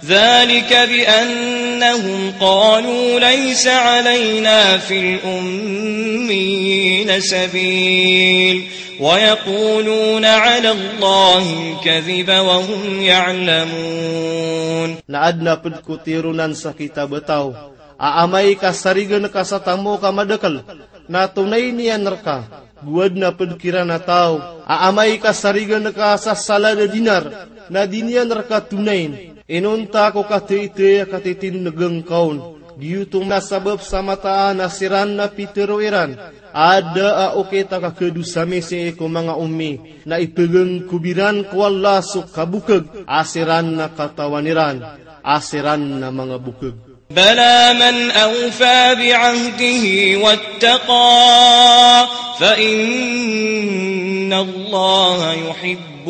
ذلك بأنهم قالوا ليس علينا في الأميين سبيل ويقولون على الله الكذب وهم يعلمون. Na aden a ped ko tironan sa kitab a taw a amay ka sarigen ka sa tamok a madakel, na tonayn iyan reka. Go aden a ped kiran a taw a amay ka sarigen ka sa salad a dinar, na di niyan reka tonayn. Inonta ko katitey a katitindegen ka on. Giyoto na sabap sa mataan a siran na pitero iran a da a okit a kakadosa misi ko manga ommi, na ipegengkob iran ko Allah so kabokeg a siran na katawan iran a siran na manga bokeg. بلى من أوفى بعهده واتقى فإن الله يحب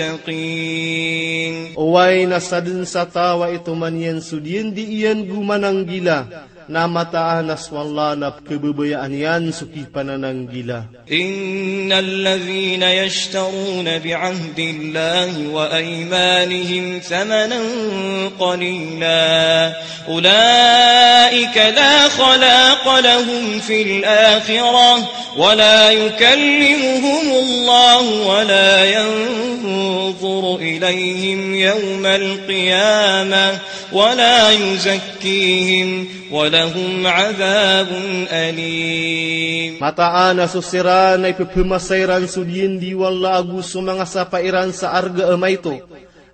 المتقين. Oway, na sadn sa taw a itoman iyan so diyen di iyan go mananggila, na mataan a so Allah na pkhababayaan iyan so kipanananggila. إن الذين يشترون بعهد الله وأيمانهم ثمنا قليلا أولئك لا خلاق لهم في الآخرة ولا يكلمهم الله ولا ينظر إليهم يوم القيامة ولا يزكيهم ولهم عذاب أليم. Mataan a so siran a ipephamasa iran so diyen di o Allah ago so manga sapa iran sa arga a maito,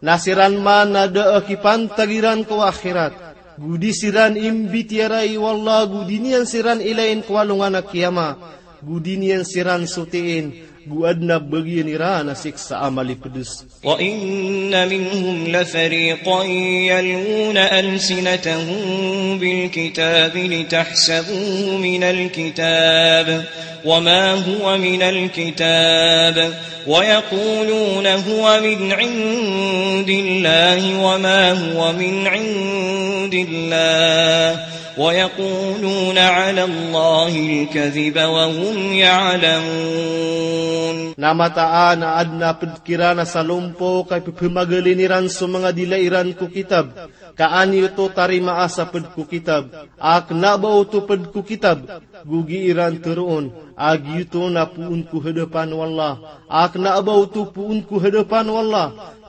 na siran man a da a kipantag iran ko akhirat, go di siran imbitiyarai o Allah, go di niyan siran ilayin ko alongan a kiyama, go di niyan siran sotiin, go aden a bagian iran a siksa a malipedes. وإن منهم لفريقا يلوون ألسنتهم بالكتاب لتحسبوه من الكتاب وما هو من الكتاب ويقولون هو من عند الله وما هو من عند الله ويقولون على الله الكذب وهم يعلمون. Na mataan a aden a ped kiran a salompok a ipepemagalin iran so manga dila iran ko kitab, ka an iyo oto tarimaa sa ped ko kitab, a kena ba oto ped ko kitab, go gii iran teroon a giyoto na poon ko hadapan o Allah, a kena ba oto poon ko hadapan o Allah,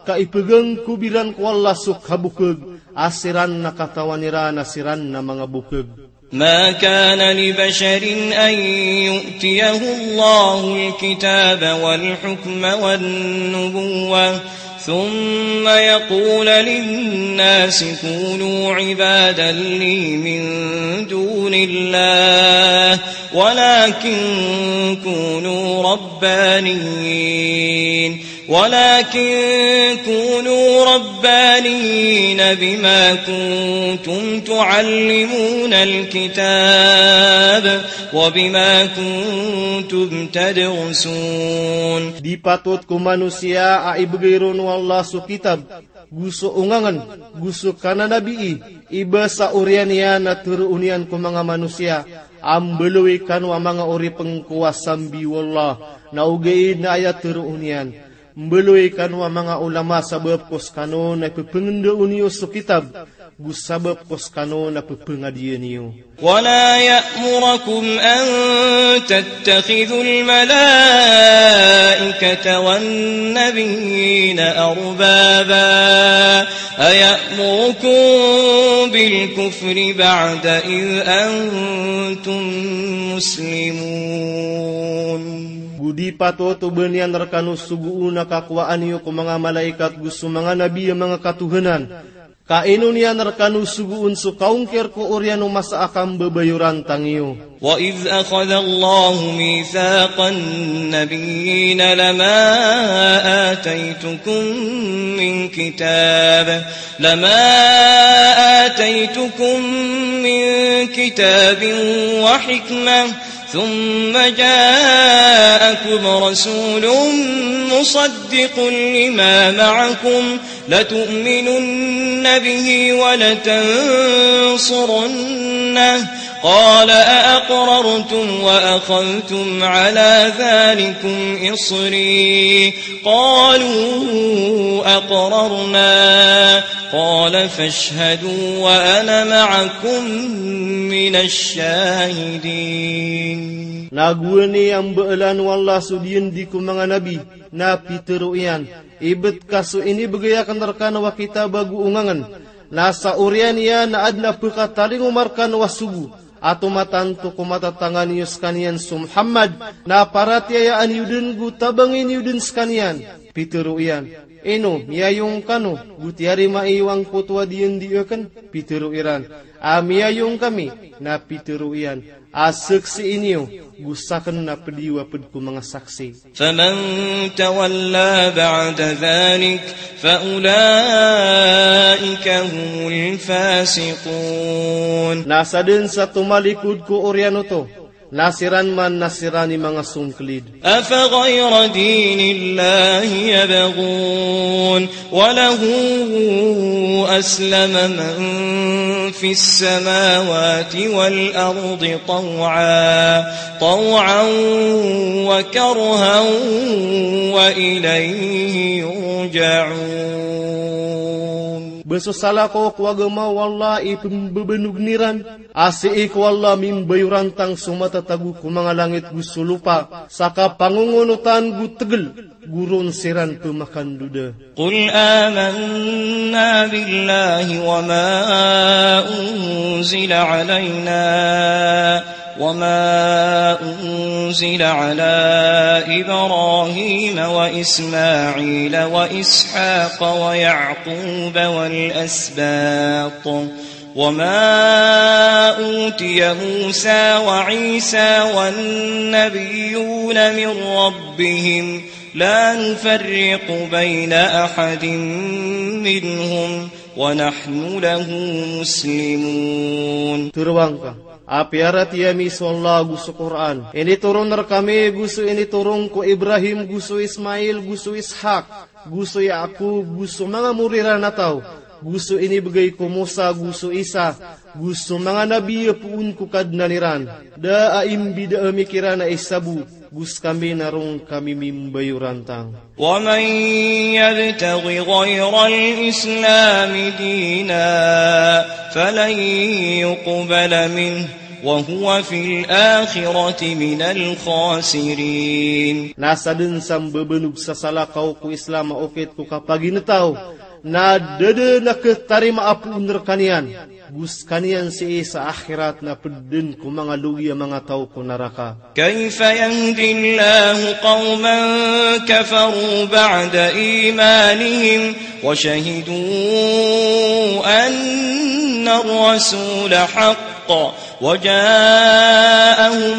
ka ipegangkob iran ko Allah so kabokeg a siran na katawan iran a siran na manga bokeg. ما كان لبشر أن يؤتيه الله الكتاب والحكم والنبوة ثم يقول للناس كونوا عبادا لي من دون الله ولكن كونوا ربانيين ولكن كونوا ربانيين بما كنتم تعلمون الكتاب وبما كنتم تدرسون. Di patot ko manosiya a ibegay ron o Allah so kitab go so ongangen go so kananabii, iba sa oriyan iyan a teroon iyan ko manga manosiya a mbaloy kano a manga oripeng ko a sambi o Allah, na ogaid na aya teroon iyan, mbaloy kano a manga olama sabap ko sekano na pepengendao niyo so kitab, go sabap ko sekano na pepengadiya niyo. ولا يأمركم أن تتخذوا الملائكة والنبيين أربابا أيأمركم بالكفر بعد إذ أنتم مسلمون. Go di patot o ba niyan rekano sogoon a kakowaan iyo ko manga malaikat go so manga nabi a manga katohanan, Ka ino niyan rkano sogoon so kaongkir ko oriyan o masa a kambabayarantang iyo. وإذ أخذ الله ميثاق النبيين لما آتيتكم من كتاب، لما آتيتكم من كتاب وحكمة، ثم جاءكم رسول مصدق لما معكم لتؤمنن به ولتنصرنه، قال أأقررتم وأخذتم على ذلكم إصري؟ قالوا أقررنا، قال فاشهدوا وأنا معكم من الشاهدين. Na gowani a mbalan o Allah so diyandi ko manga nabi, na pitharo iyan, ibt ka so inibgay akn rkano a kitab ago ongangn, na sa oriyan iyan na adn a pkatalingoma rkano a sogo a tomatanto ko matatangan iyo skaniyan so Muhammad, na paratiyayaan iyo dn go tabangin iyo dn skaniyan. Pitharo iyan, ino miyayong kano go tiyarima iyo angkoto a diyandi akn? Pitharo iran a miyayong kami. Na pitharo iyan a saksii niyo go sakn na pd iyo a pd ko manga saksi. فمن تولى بعد ذلك فأولئك هم الفاسقون. Na sadn sa tomalikod ko oriyan oto, na siran man na siran i manga songklid. أفغير دين الله يبغون وله أسلم من في السماوات والأرض طوعا، طوعا وكرها وإليه يرجعون. Ba so salakaw ko agama o Allah i pmbabanogn iran, a sii ko Allah mimbayorantang so matatago ko manga langit go so lopa, sa kapangongonotan go tgl, go ron siran pmakandoda. قل آمنا بالله وما أنزل علينا وما أنزل على إبراهيم وإسماعيل وإسحاق ويعقوب والأسباط وما أوتي موسى وعيسى والنبيون من ربهم لا نفرق بين أحد منهم ونحن له مسلمون. Tharoang ka a piyaratiyaya mi so Allah go so Qur'an. Initoron rkami go so initoron ko Ibrahim, go so Ismail, go so Ishaq, go so Yaqub, go so manga mori ran a taw, go so inibgay ko Musa, go so Isa, go so manga nabi a poon ko Kadnan iran. Da a imbida ami kiran a isa bo, go skami na ron kami mimbayorantang. ومن يبتغ غير الإسلام دينا فلن يقبل منه وهو في الآخرة من الخاسرين. Na sadn sa mbabanog sa salakaw ko Islam a okit ko kapaginetaw, na da dn a khatarima a poon rkaniyan, go skaniyan sii sa akhirat na pd dn ko manga logi a manga taw ko naraka. كيف يهدي الله قوما كفروا بعد إيمانهم وشهدوا أن الرسول حق وجاءهم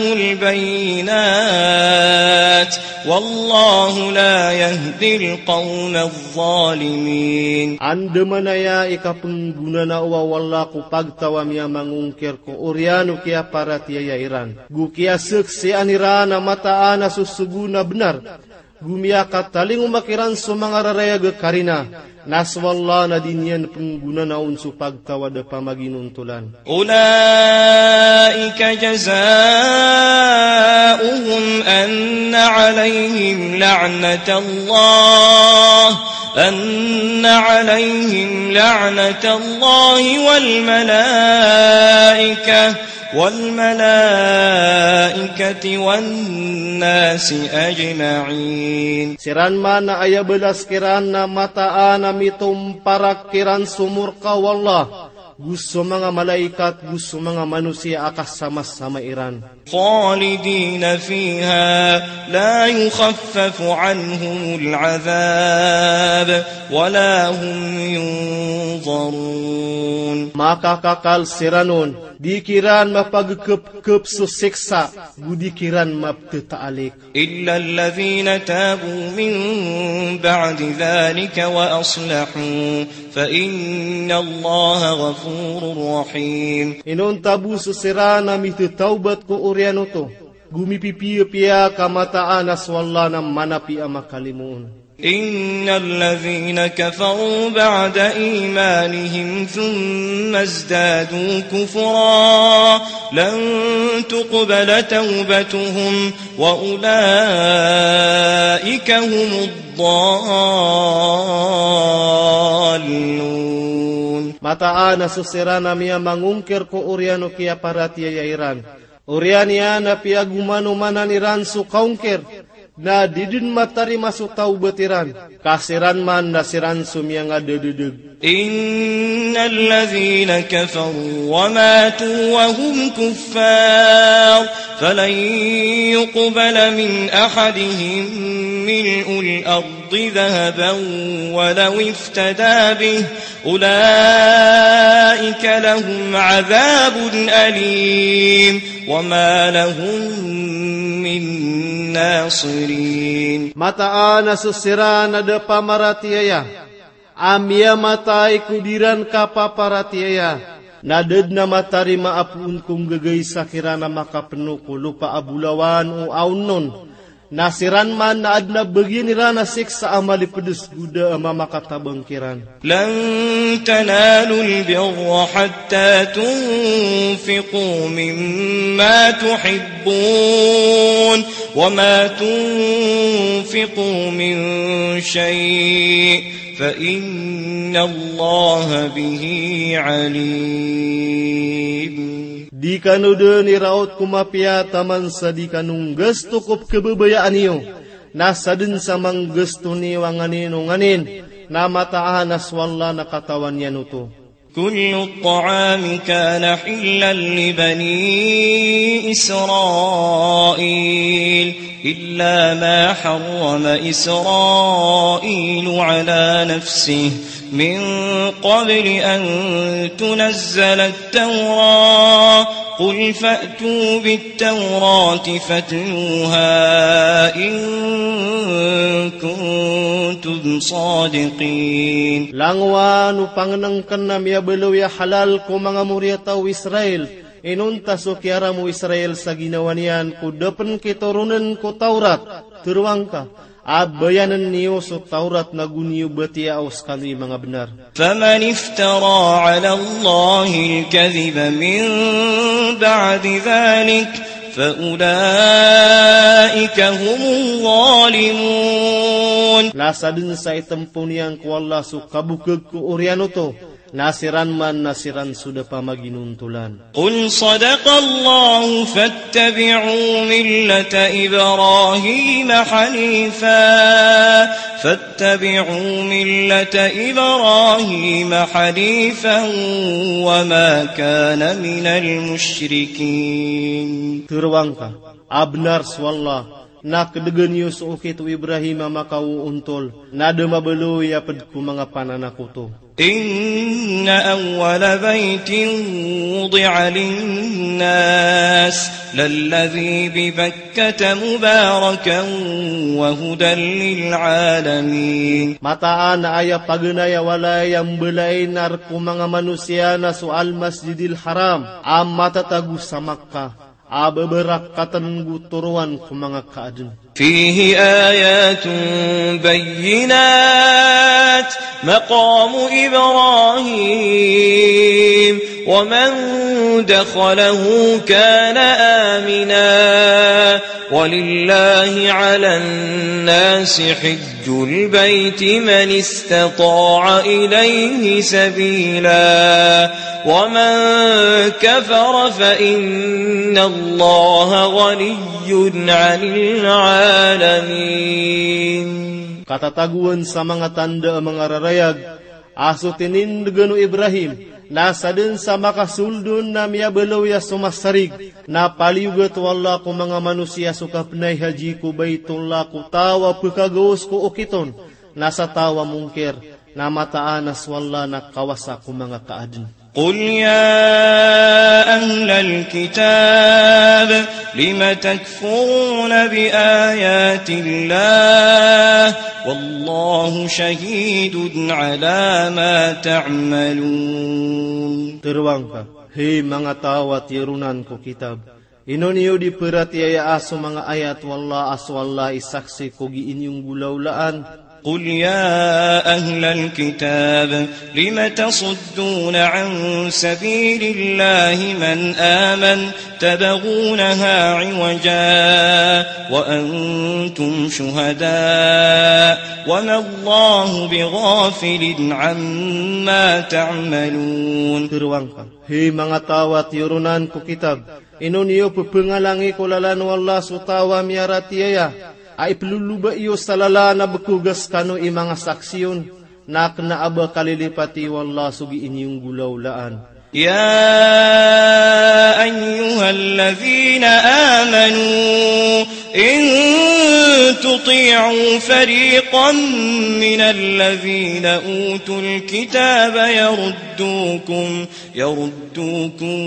البينات والله لا يهدي القوم الظالمين. Andamanaya i kapnggonanao o Allah ko pagtaw a miyamangongkir ko oriyan o kiyaparatiyaya iran, go kiyasaksian iran a mataan a sosogoon a bnar, go miyakatalingoma kiran so manga rarayag a karina, na so Allah na di niyan pnggonanaon so pagtaw a da pamaginontolan. أولئك جزاؤهم أن عليهم لعنة الله، أن عليهم لعنة الله والملائكة، والملائكة والناس أجمعين. Siran man a aya balas kiran na mataan a mitomparak kiran so morka o Allah, go so manga malaikat, go so manga manosiya a kasamasama iran. خالدين فيها لا يخفف عنهم العذاب ولا هم ينظرون. Makakakal siran on, di kiran mapagkepkep so siksa, go di kiran maptetaalik. إلا الذين تابوا من بعد ذلك وأصلحوا فإن الله غفور رحيم. Inonta bo so siran a mitetawbat ko oriyan oto, go mipipiyapiya ka mataan a so Allah na manapi a makalimoon. إن الذين كفروا بعد إيمانهم ثم ازدادوا كفرا لن تقبل توبتهم وأولئك هم الضالون. Mataan a so siran a miyamangongkir ko oriyan o kiyaparatiyaya iran, oriyan iyan a piyagomanomanan iran so kaongkir, na di den matarima so tawbat iran, ka siran man na siran so miyangadededeg. إن الذين كفروا وماتوا وهم كفار فلن يقبل من أحدهم ملء الأرض ذهبا ولو افتدى به أولئك لهم عذاب أليم وما لهم من ناصرين. Mataan a so siran a da pamaratiyaya a miyamatay ko di ran kapaparatiyaya, na da den a matarima a poon ko nggagaisa kiran a makapeno ko lopa a bolawan o aonon, na siran man na aden a bagian iran a siksa a malipedes go da a mamakatabang kiran. لن تنالوا البر حتى تنفقوا مما تحبون وما تنفقوا من شيء فإن الله به عليم. Di kano den iraot ko mapiya taman sa di kano nggasto ko pkhababayaan iyo, na saden sa manggasto niyo a nganin o nganin, na mataan a so Allah na katawan iyan oto. كل الطعام كان حلا لبني إسرائيل إلا ما حرم إسرائيل على نفسه من قبل أن تنزل التوراة قل فأتوا بالتوراة فاتلوها إن كنتم صادقين. Langowan o pangnengken a miyabaloy a halal ko manga moriyataw o Israel, inonta so kiyaram o Israel sa ginawa niyan ko da pen kitoronen ko Tawrat, tero angka, a bayanen iyo so Tawrat na go niyo batiya o sekano i manga benar. فمن افترى على الله الكذب من بعد ذلك فأولئك هم الظالمون. Na saden sa itempo niyan ko Allah so kabokeg ko oriyan oto, na siran man na siran so da pamaginontolan. قل صدق الله فاتبعوا ملة إبراهيم حنيفا، فاتبعوا ملة إبراهيم حنيفا وما كان من المشركين. Tero angka, a benar so Allah, na kedegen iyo so okit o Ibrahim a makaoontol, na da mabaloy a ped ko manga pananakoto. إن أول بيت وضع للناس للذي ببكة مباركا وهدى للعالمين. Mataan a aya paganay a walay a mbalain a rk o manga manosiya na so Al-Masjidil Haram, a matatago sa Makkah, a babarakaten go toroan ko manga kaaden. فيه آيات بينات مقام إبراهيم ومن دخله كان آمنا ولله على الناس حج البيت من استطاع إليه سبيلا ومن كفر فإن الله غني عن العالمين. Katatagoan sa manga tanda a manga rarayag a so tinindgan o Ibrahim, Na sadn sa makasold on na miyabaloy a so masarig. Na paliyogat o Allah ko manga manosiya so kapnay haji ko Baitullah ko taw a pkagaos ko okit on. Na sa taw a mongkir, na mataan a so Allah na kawasa ko manga kaadn. قل يا أهل الكتاب لم تكفرون بآيات الله والله شهيد على ما تعملون. Tharoang ka, hay manga taw a tiyaronan ko kitab, ino niyo di paratiyaya a so manga ayat o Allah a so Allah i saksi ko gii niyo nggolawlaan? قل يا أهل الكتاب لم تصدون عن سبيل الله من آمن تبغونها عوجا وأنتم شهداء وما الله بغافل عما تعملون. Tharoang ka, hay manga taw a tiyaronan ko kitab, ino niyo pphangalangi ko lalan o Allah so taw a miyaratiyaya, a iploloba iyo sa lalan a bkoga skano i manga saksi on, na kna a ba kalilipati o Allah so gii niyo nggolawlaan. يا أيها الذين آمنوا إن تطيعوا فريقا من الذين أوتوا الكتاب يردوكم يردوكم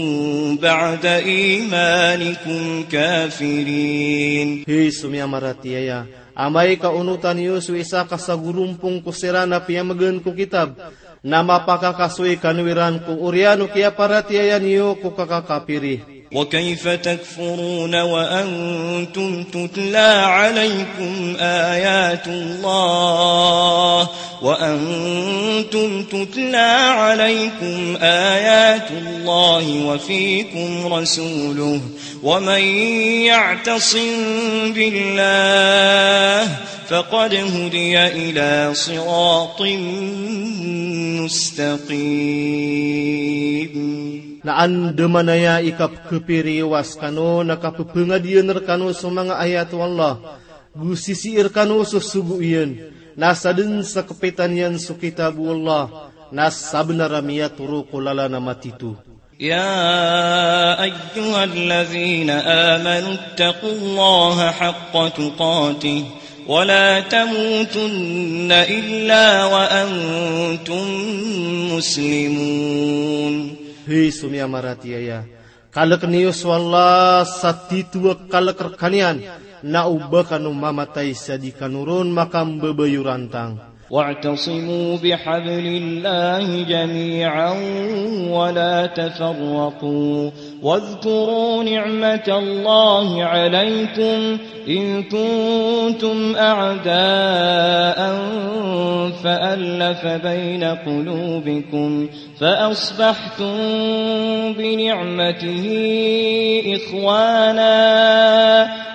بعد إيمانكم كافرين. Hay so miyamaratiyaya, amay ka onotan iyo so isa ka sagorompong ko siran a piyamgan ko kitab, na mapakakasoy kano iran ko oriyan o kiyaparatiyaya niyo ko kakakapiri. وكيف تكفرون وأنتم تتلى عليكم آيات الله وأنتم تتلى عليكم آيات الله وفيكم رسوله ومن يعتصم بالله فقد هدي إلى صراط مستقيم. Na andamanaya i kapkapiri iyo a skano na kapphangadiyan rkano so manga ayat o Allah, go sisii rkano so sogo iyan, na sadn sa kpitan iyan so kitab o Allah, na sabnar a miyatoro ko lalan a matito. يا أيها الذين آمنوا اتقوا الله حق تقاته ولا تموتن إلا وأنتم مسلمون. Hay so miyamaratiyaya, kalkn iyo so Allah sa tito a kalk rkaniyan, na o ba kano mamatay sa di kano ron makambabayorantang. واعتصموا بحبل الله جميعا ولا تفرقوا واذكروا نعمة الله عليكم إذ كنتم أعداء فألف بين قلوبكم فأصبحتم بنعمته إخوانا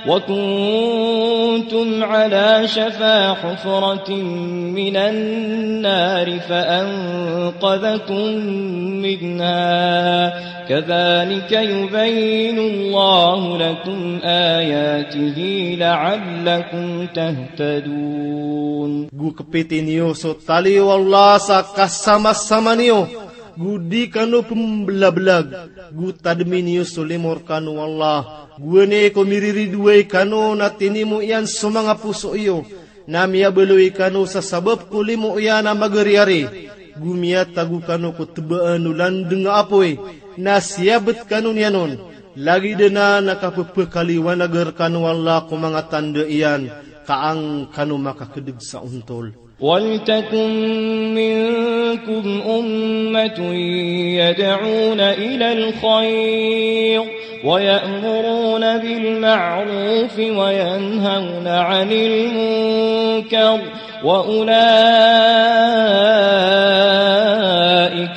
وكنتم على شفا حفرة من النار فأنقذكم منها كذلك يبين الله لكم آياته لعلكم تهتدون. Go kpiti niyo so tali o Allah sa kasamasama niyo, go di kano pmblablagn, go tadmi niyo so limo rkano o Allah, go anay ko miriridoay kano na tinimo iyan so manga poso iyo, na miyabaloy kano sa sabap ko limo iyan a magariyari, go miyatago kano ko tbaan o landng a apoy, na siyabt kano niyan on, lagid anan a kappakaliwanag rkano o Allah ko manga tanda iyan, ka an kano makakdg sa ontol. ولتكن منكم أمة يدعون إلى الخير ويأمرون بالمعروف وينهون عن المنكر وأولئك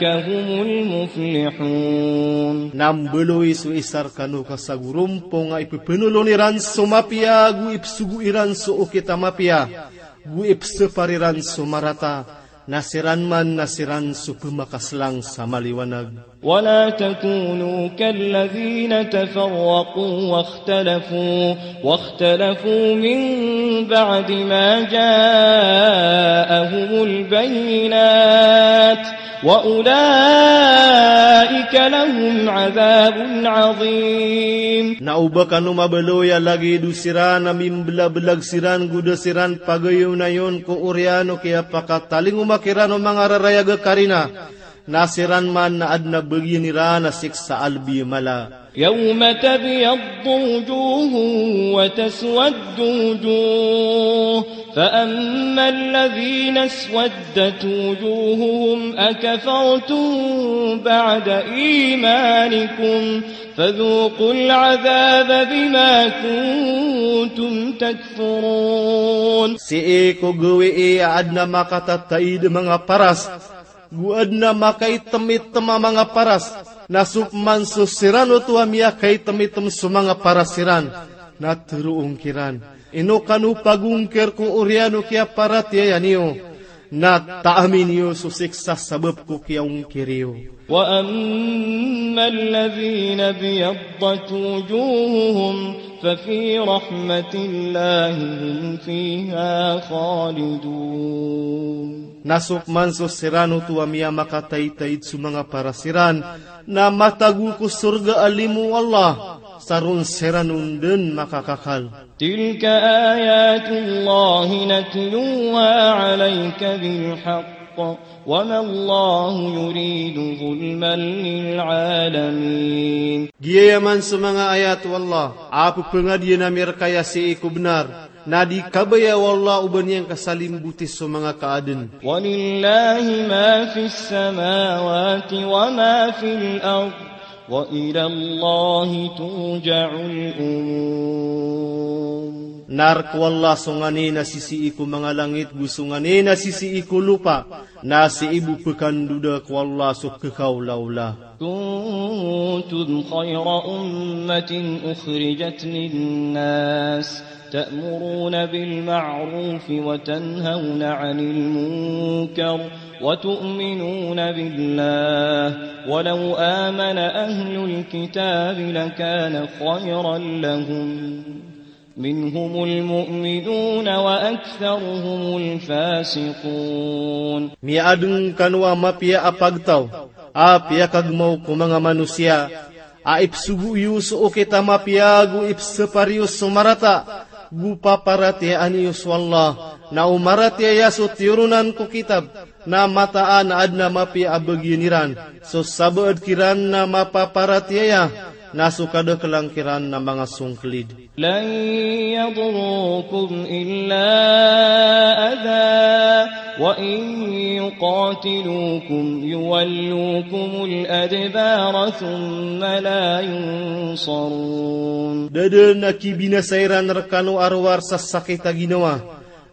هم المفلحون. Na mbaloy so isa rkano ka sagorompong a ipphnolon iran so mapiya, go ipsogo iran so okit a mapiya, go ipsapar iran so marata, na siran man na siran so pmakaslang sa maliwanag. ولا تكونوا كالذين تفرقوا واختلفوا واختلفوا من بعد ما جاءهم البينات وأولئك لهم عذاب عظيم. Na o ba kano mabaloy a lagid o siran a mimbelabelag siran go da siran pagayonayon ko oriyan o kiyapakatalingoma kiran o manga rarayag a karina, na siran man na adn a bagian iran a siksa a lbi a mala. يوم تبيض وجوه وتسود وجوه، فأما الذين اسودت وجوههم أكفرتم بعد إيمانكم فذوقوا العذاب بما كنتم تكفرون. Sii ko gawii a adn a makatataid a manga paras, go adn a makaitemitm a manga paras, na so pman so siran oto a miyakaitemitm so manga paras iran, na teroon kiran, ino kano pagongkir ko oriyan o kiyaparatiyaya niyo, na taami niyo so siksa sabap ko kiyaongkir iyo. وأما الذين ابيضت وجوههم ففي رحمة الله هم فيها خالدون. Na so pman so siran oto a miyamakataytayt so manga paras iran, na matago ko sorga a limo o Allah, sa ron siran on dn makakakal. تلك آيات الله نتلوها عليك بالحق وما الله يريد ظلما للعالمين. Giyaya man so manga ayat o Allah a pphangadiyan ami rka iya sii ko bnar, na di kabaya o Allah o ba niyan kasalimboti so manga kaadn. ولله ما في السماوات وما في الأرض وإلى الله ترجع الأمور. Na rk o Allah so nganin a sisii ko manga langit go so nganin a sisii ko lopa, na sii bo pkandoda ko Allah so kekaolaola. كنتم خير أمة أخرجت للناس تأمرون بالمعروف وتنهون عن المنكر وتؤمنون بالله ولو آمن أهل الكتاب لكان خيرا لهم منهم المؤمنون وأكثرهم الفاسقون. Miyaadn kano a mapiya a pagtaw a piyakagmaw ko manga manosiya, a ipsogo iyo so okit a mapiya go ipsapar iyo so marata, go paparatiyayaan iyo so Allah, na o maratiyaya so tiyoronan ko kitab, na mataan a adn a mapiya a bagian iran, so sabaad kiran na mapaparatiyaya, na so kadaklan kiran na manga songklid. لن يضروكم إلا أذى وإن يقاتلوكم يولوكم الأدبار ثم لا ينصرون. Da dn a kibinasa iran rkano a rowar sa sakit a ginawa,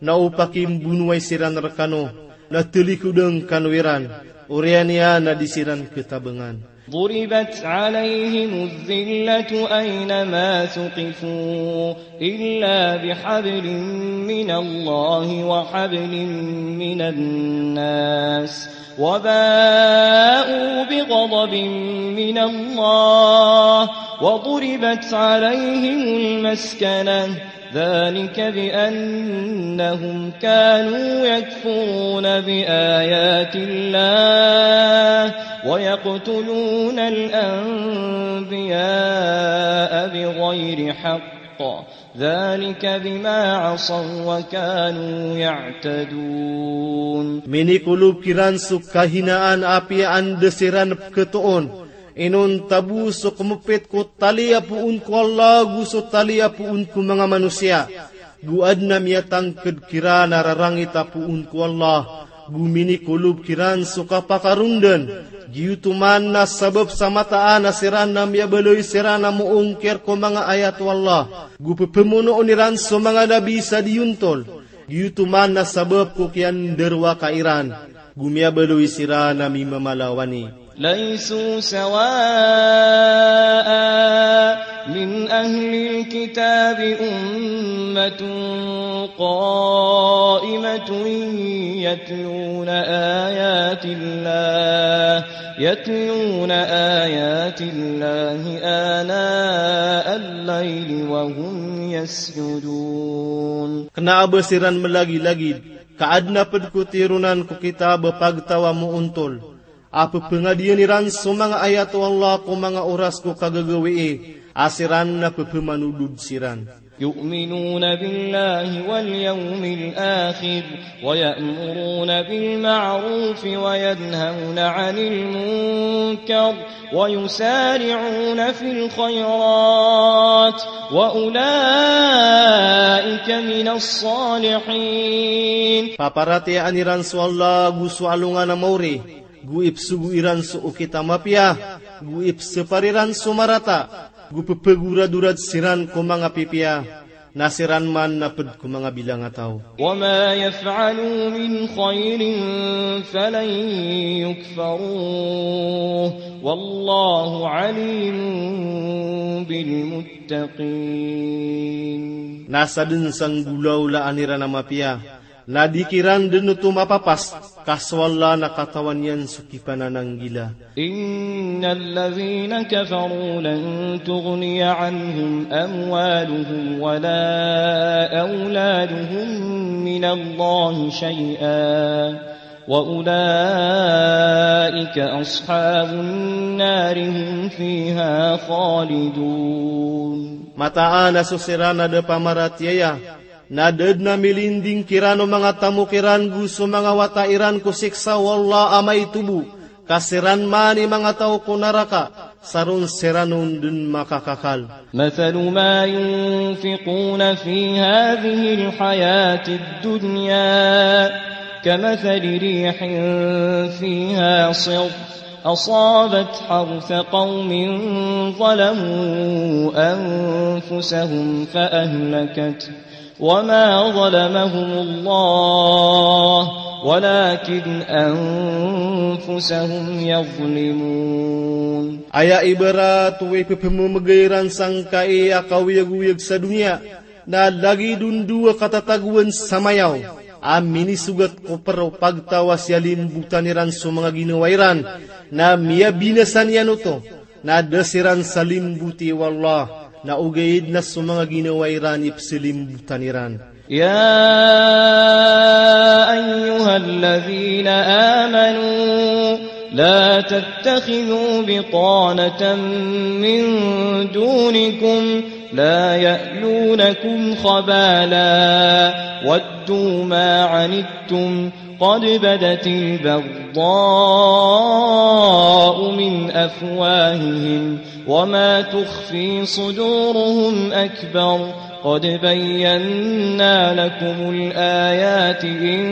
na o pakimbonowai siran rkano, na talikodan kano iran, oriyan iyan na di siran ketabangan. ضربت عليهم الذلة أينما ثقفوا إلا بحبل من الله وحبل من الناس وباءوا بغضب من الله وضربت عليهم المسكنة ذلك بأنهم كانوا يكفرون بآيات الله ويقتلون الأنبياء بغير حق ذلك بما عصوا وكانوا يعتدون. Minikolob kiran so kahinaan a apiya anda siran pkhatoon, inonta bo so kmapit ko tali a poon ko Allah go so tali a poon ko manga manosiya, go adn a miyatangkd kiran a rarangit a poon ko Allah, go minikolob kiran so kapakarondan, giyoto man na sabap sa mataan a siran na miyabaloy siran a moongkir ko manga ayat o Allah, go pphamonoon iran so manga nabi sa diyontol, giyoto man na sabap ko kiyandarowaka iran, go miyabaloy siran a mimamalawan i. ليسوا سواء من أهل الكتاب أمة قائمة يتلون آيات الله يتلون آيات الله آناء الليل وهم يسجدون. Kna a ba siran malagilagid, ka adn a pd ko tiyoronan ko kitab a pagtaw a moontol, a pphangadiyan iran so manga ayat o Allah ko manga oras ko kagagawii, a siran na pphamanodod siran. يؤمنون بالله واليوم الآخر ويأمرون بالمعروف وينهون عن المنكر ويسارعون في الخيرات وأولئك من الصالحين. Paparatiyayaan iran so Allah ago so alongan a maori, go ipsogo iran so okit a mapiya, go ipsapar iran so marata, go pphagoradorad siran ko manga pipiya, na siran man na pd ko manga bilangataw. وما يفعلوا من خير فلن يكفروه والله عليم بالمتقين. Na sadn sa nggolawlaan iran a mapiya, na di kiran dn oto mapapas, ka so Allah na katawan iyan so kipanananggila. إن الذين كفروا لن تغني عنهم أموالهم ولا أولادهم من الله شيئا وأولئك أصحاب النار هم فيها خالدون. Mataan a so siran a da pamaratiyaya, na da dn a milinding kiran o manga tamok iran go so manga wata iran ko siksa o Allah a maitobo, ka siran man i manga taw ko naraka, sa ron siran on dn makakakal. مثل ما ينفقون في هذه الحياة الدنيا كمثل ريح فيها صر أصابت حرث قوم ظلموا أنفسهم فأهلكته وما ظلمهم الله ولكن أنفسهم يظلمون. Aya ibarat o ipphmemegay iran sangkai a kaoyagoyag sa doniya, na lagid on dowa katatagowan sa mayaw a minisogat ko pr o pagtaw a siyalimbotan iran so manga ginawa iran, na miyabinasa niyan oto, na da siran salimboti o Allah, na ogaid na so manga ginawa iran i psalimbotn iran. يا أيها الذين آمنوا لا تتخذوا بطانة من دونكم لا يألونكم خبالا ودوا ما عنتم قد بدت البغضاء من أفواههم وما تخفي صدورهم أكبر قد بينا لكم الآيات إن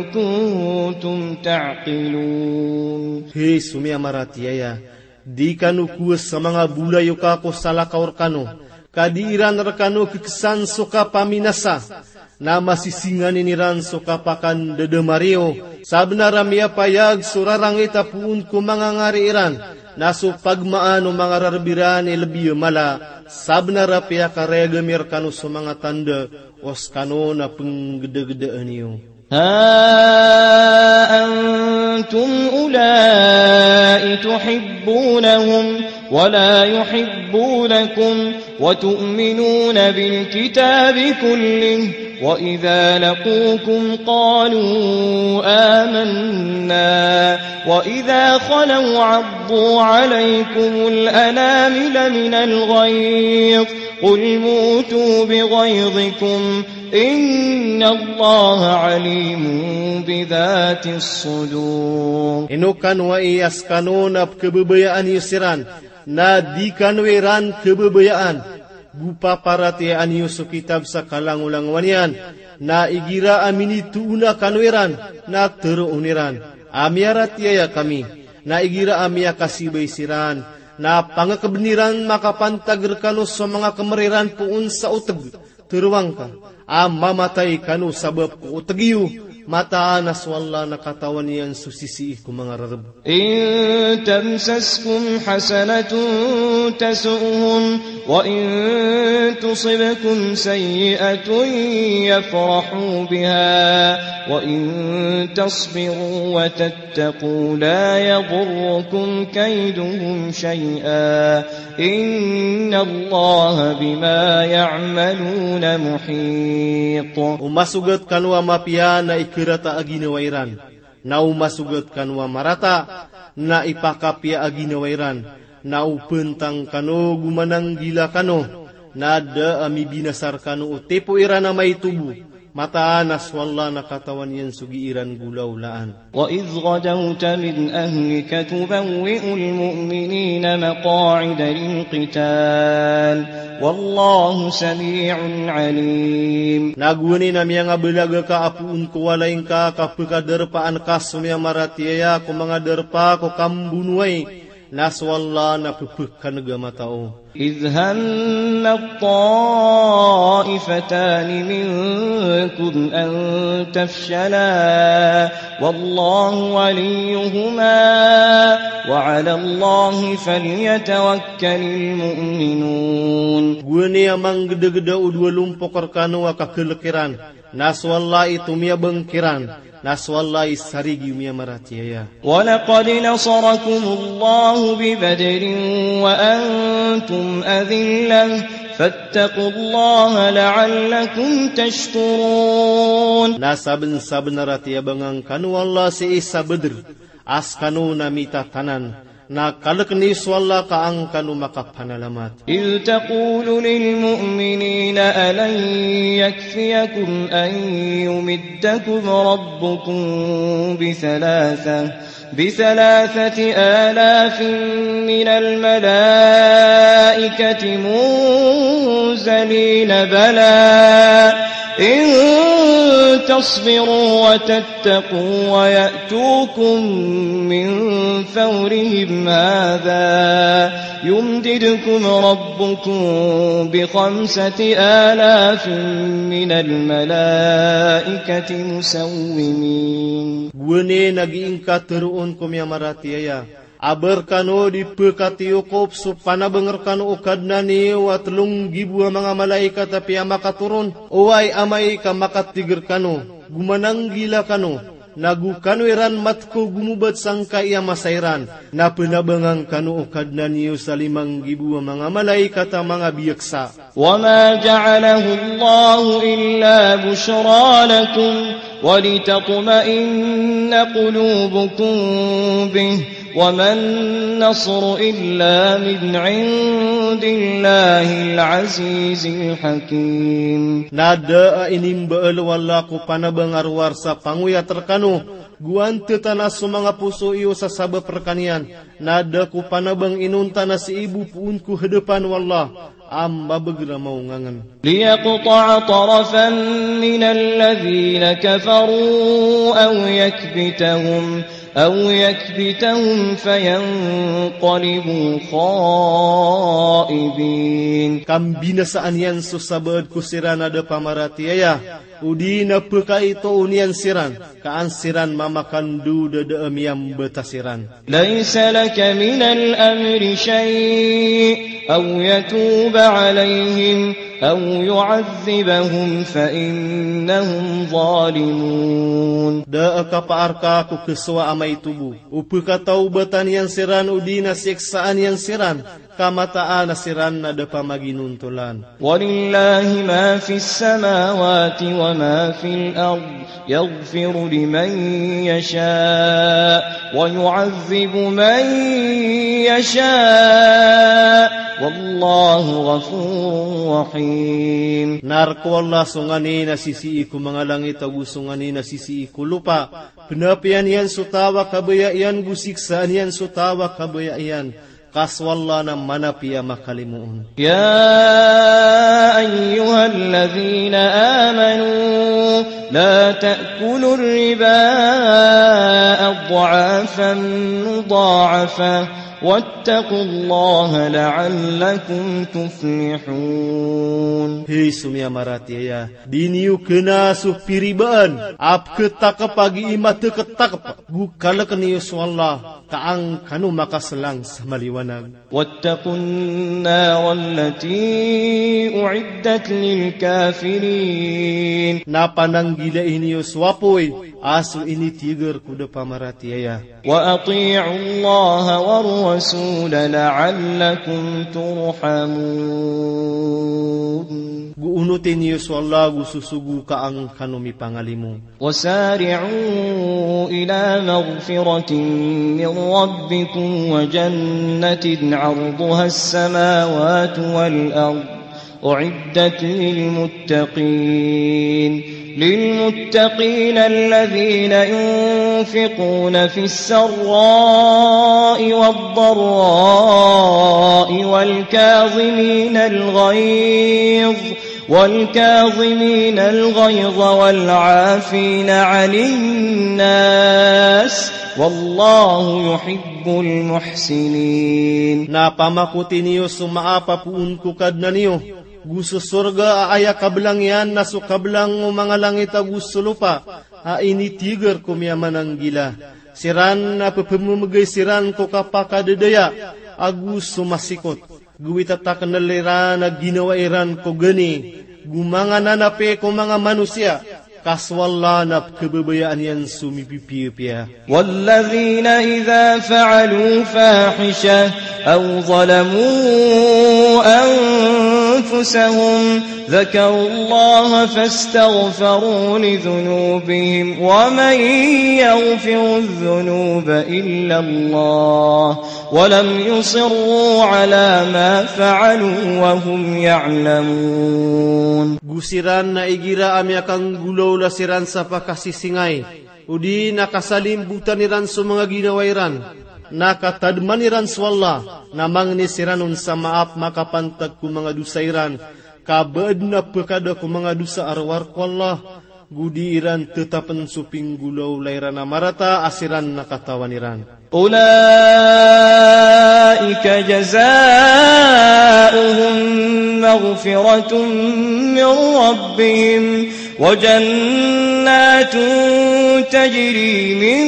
كنتم تعقلون. Hay so miyamaratiyaya, di kano kowa sa manga bolayoka ko salakaw rkano, ka di iran rkano kksan so kapaminasa, na masisinganin iran so kapakandadamar iyo. Sabnar a miyapayag so rarangit a poon ko manga ngari iran, na so pagmaan o manga rarb iran i lbi a mala. Sabnar a piyakarayag ami rkano so manga tanda, o skano na pnggdagdaan iyo. ها أنتم أولئك تحبونهم ولا يحبونكم وتؤمنون بالكتاب كله وإذا لقوكم قالوا آمنا وإذا خلوا عضوا عليكم الأنامل من الغيظ قل موتوا بغيظكم إن الله عليم بذات الصدور. Ino kano ai a skano na pkhababayaan iyo siran, na di kano iran khababayaan, go paparatiyayaan iyo so kitab sa kalangolangowan iyan, na igira a minitoona kano iran, na tharoon iran a miyaratiyaya kami, na igira a miyakasibay siran, na pangakbn iran makapantag rkano so manga kmr iran poon sa otg, tharoa ngka a mamatay kano sabap ko otg iyo, mataan a so Allah na katawan iyan so sisii ko manga rarb. إن تمسسكم حسنة تسؤهم وإن تصبكم سيئة يفرحوا بها وإن تصبروا وتتقوا لا يضركم كيدهم شيئا إن الله بما يعملون محيط. O masogat kano a mapiya na ikarata a ginawa iran, na o masogat kano a marata Na ipakapiya a ginawa iran, na o pantang kano go mananggila kano, na da a mibinasa rkano o tipo iran a maito bo, mataan a so Allah na katawan iyan so gii ran golaolaan. وإذ غدوت من أهلك تبوئ المؤمنين مقاعد للقتال والله سميع عليم. Na gowani na miyangabalag ka a poon ko walay ngka ka pkadarpaan ka so miyamaratiyaya ko manga darpa ko kambonowai, na so Allah na pphkan'g a matao. إذ هم الطائفتان منكم أن تفشلا والله وليهما وعلى الله فليتوكل المؤمنون. Gowani a manggdagda o dowa lompok rkano a kakhlk iran, na so Allah i tomiyabang kiran, na so Allah i sarigi o miyamaratiyaya. ولقد نصركم الله ببدر وأنتم أذلة فاتقوا الله لعلكم تشكرون. Na sabnsabnar a tiyabangan kano o Allah sii sa Badr, a skano na mitatanan, na kalkn iyo so Allah ka an kano makapanalamat. إذ تقول للمؤمنين ألن يكفيكم أن يمدكم ربكم بثلاثة، بثلاثة آلاف من الملائكة منزلين، بلى إن تصبروا وتتقوا ويأتوكم من فورهم هذا يمددكم ربكم بخمسة آلاف من الملائكة مسومين. Gowani na gii ngka tharoon ko miyamaratiyaya a ba rkano di pkatiyokop so panabang rkano o Kadnan iyo a tlo nggibo a manga malaikat a piyamakatoron, oway amay ka makatig rkano go mananggila kano, na go kano iran matko gomobat sangkai a masa iran, na pnabangan kano o Kadnan iyo sa lima nggibo a manga malaikat a manga biyaksa. وما جعله الله إلا بشرى لكم ولتطمئن قلوبكم به وما النصر إلا من عند الله العزيز الحكيم. Na da a inimbaal o Allah ko panabang a rowar sa pangoyat rkano, go antatan a so manga poso iyo sa sabap rkaniyan, na da ko panabang inonta na sii bo poon ko hadapan o Allah a mabagr a maongangn. ليقطع طرفا من الذين كفروا أو يكبتهم، أو يكبتهم فينقلبوا خائبين. Ka mbinasaan iyan so sabaad ko siran a da pamaratiyaya, odi na pkaitoon iyan siran, ka an siran mamakandod a da a miyambata siran. ليس لك من الأمر شيء أو يتوب عليهم أو يعذبهم فإنهم ظالمون. Da a kapaar ka ko khasowa a maito bo, o pkatawbatan iyan siran odi na siksaan iyan siran, ka mataan a siran na da pamaginontolan. ولله ما في السماوات وما في الأرض يغفر لمن يشاء ويعذب من يشاء والله غفور رحيم. Na rk o Allah so nganin a sisii ko manga langit ago so nganin a sisii ko lopa. Pnapiyan iyan so taw a kabaya iyan go siksaan iyan so taw a kabaya iyan. Ka so Allah na manapiya a makalimoon. يا أيها الذين آمنوا لا تأكلوا الربا أضعافا مضاعفة واتقوا الله لعلكم تفلحون. Hay so miyamaratiyaya, di niyo kna so piribaan a pktakp a gii mataktakp, go kalkn iyo so Allah, ka an kano makaslang sa maliwanag. واتقوا النار التي أعدت للكافرين. Na pananggilai niyo so apoy a so initigar ko da pamaratiyaya. وأطيعوا الله والرسول لعلكم ترحمون. Go onoti niyo so Allah go sosogo ka an kano mipangalimo. وسارعوا إلى مغفرة من ربكم وجنة عرضها السماوات والأرض أعدت للمتقين. للمتقين الذين ينفقون في السراء والضراء والكاظمين الغيظ، والكاظمين الغيظ والعافين عن الناس، والله يحب المحسنين. Na pamakoti niyo so maap a poon ko Kadnan iyo, go so sorga a aya kablang iyan na so kablang o manga langit ago so lopa, a initiger ko miyamananggila. Siran na pepememegay siran ko kapakadadaya ago so masikot. Go itataknel iran a ginawa iran ko gani, go manga nanapi ko manga manosiya, ka so Allah na pekababayaan iyan so mipipiyapiya. والذين إذا فعلوا فاحشة أو ظلموا أنفسهم ذكروا الله فاستغفروا لذنوبهم ومن يغفر الذنوب إلا الله ولم يصروا على ما فعلوا وهم يعلمون. Go siran na igira a miyakanggolawla siran sa pakasisingay, odi na kasalimbotan iran so manga ginawa iran, na katadman iran so Allah, na mangni siran on sa maap makapantag ko manga dosa iran, ka ba aden a pekada ko manga dosa a rowar ko Allah, go di iran tetapen so pinggolawla iran a marata a siran na katawan iran. أولئك جزاؤهم مغفرة من ربهم وجنات تجري من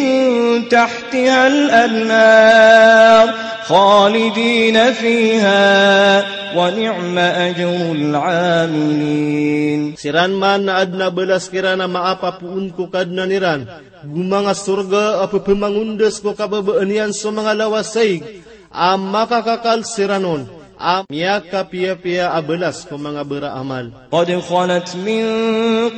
تحتها الأنهار خالدين فيها ونعم أجر العاملين. Siran man na aden a balas kiran a maap a poon ko Kadnan iran, go manga sorga a pepemangondas ko kababaan iyan so manga lawasaig, a makakakal siran on, a miyakapiyapiya a balas ko manga baraamal. قد خلت من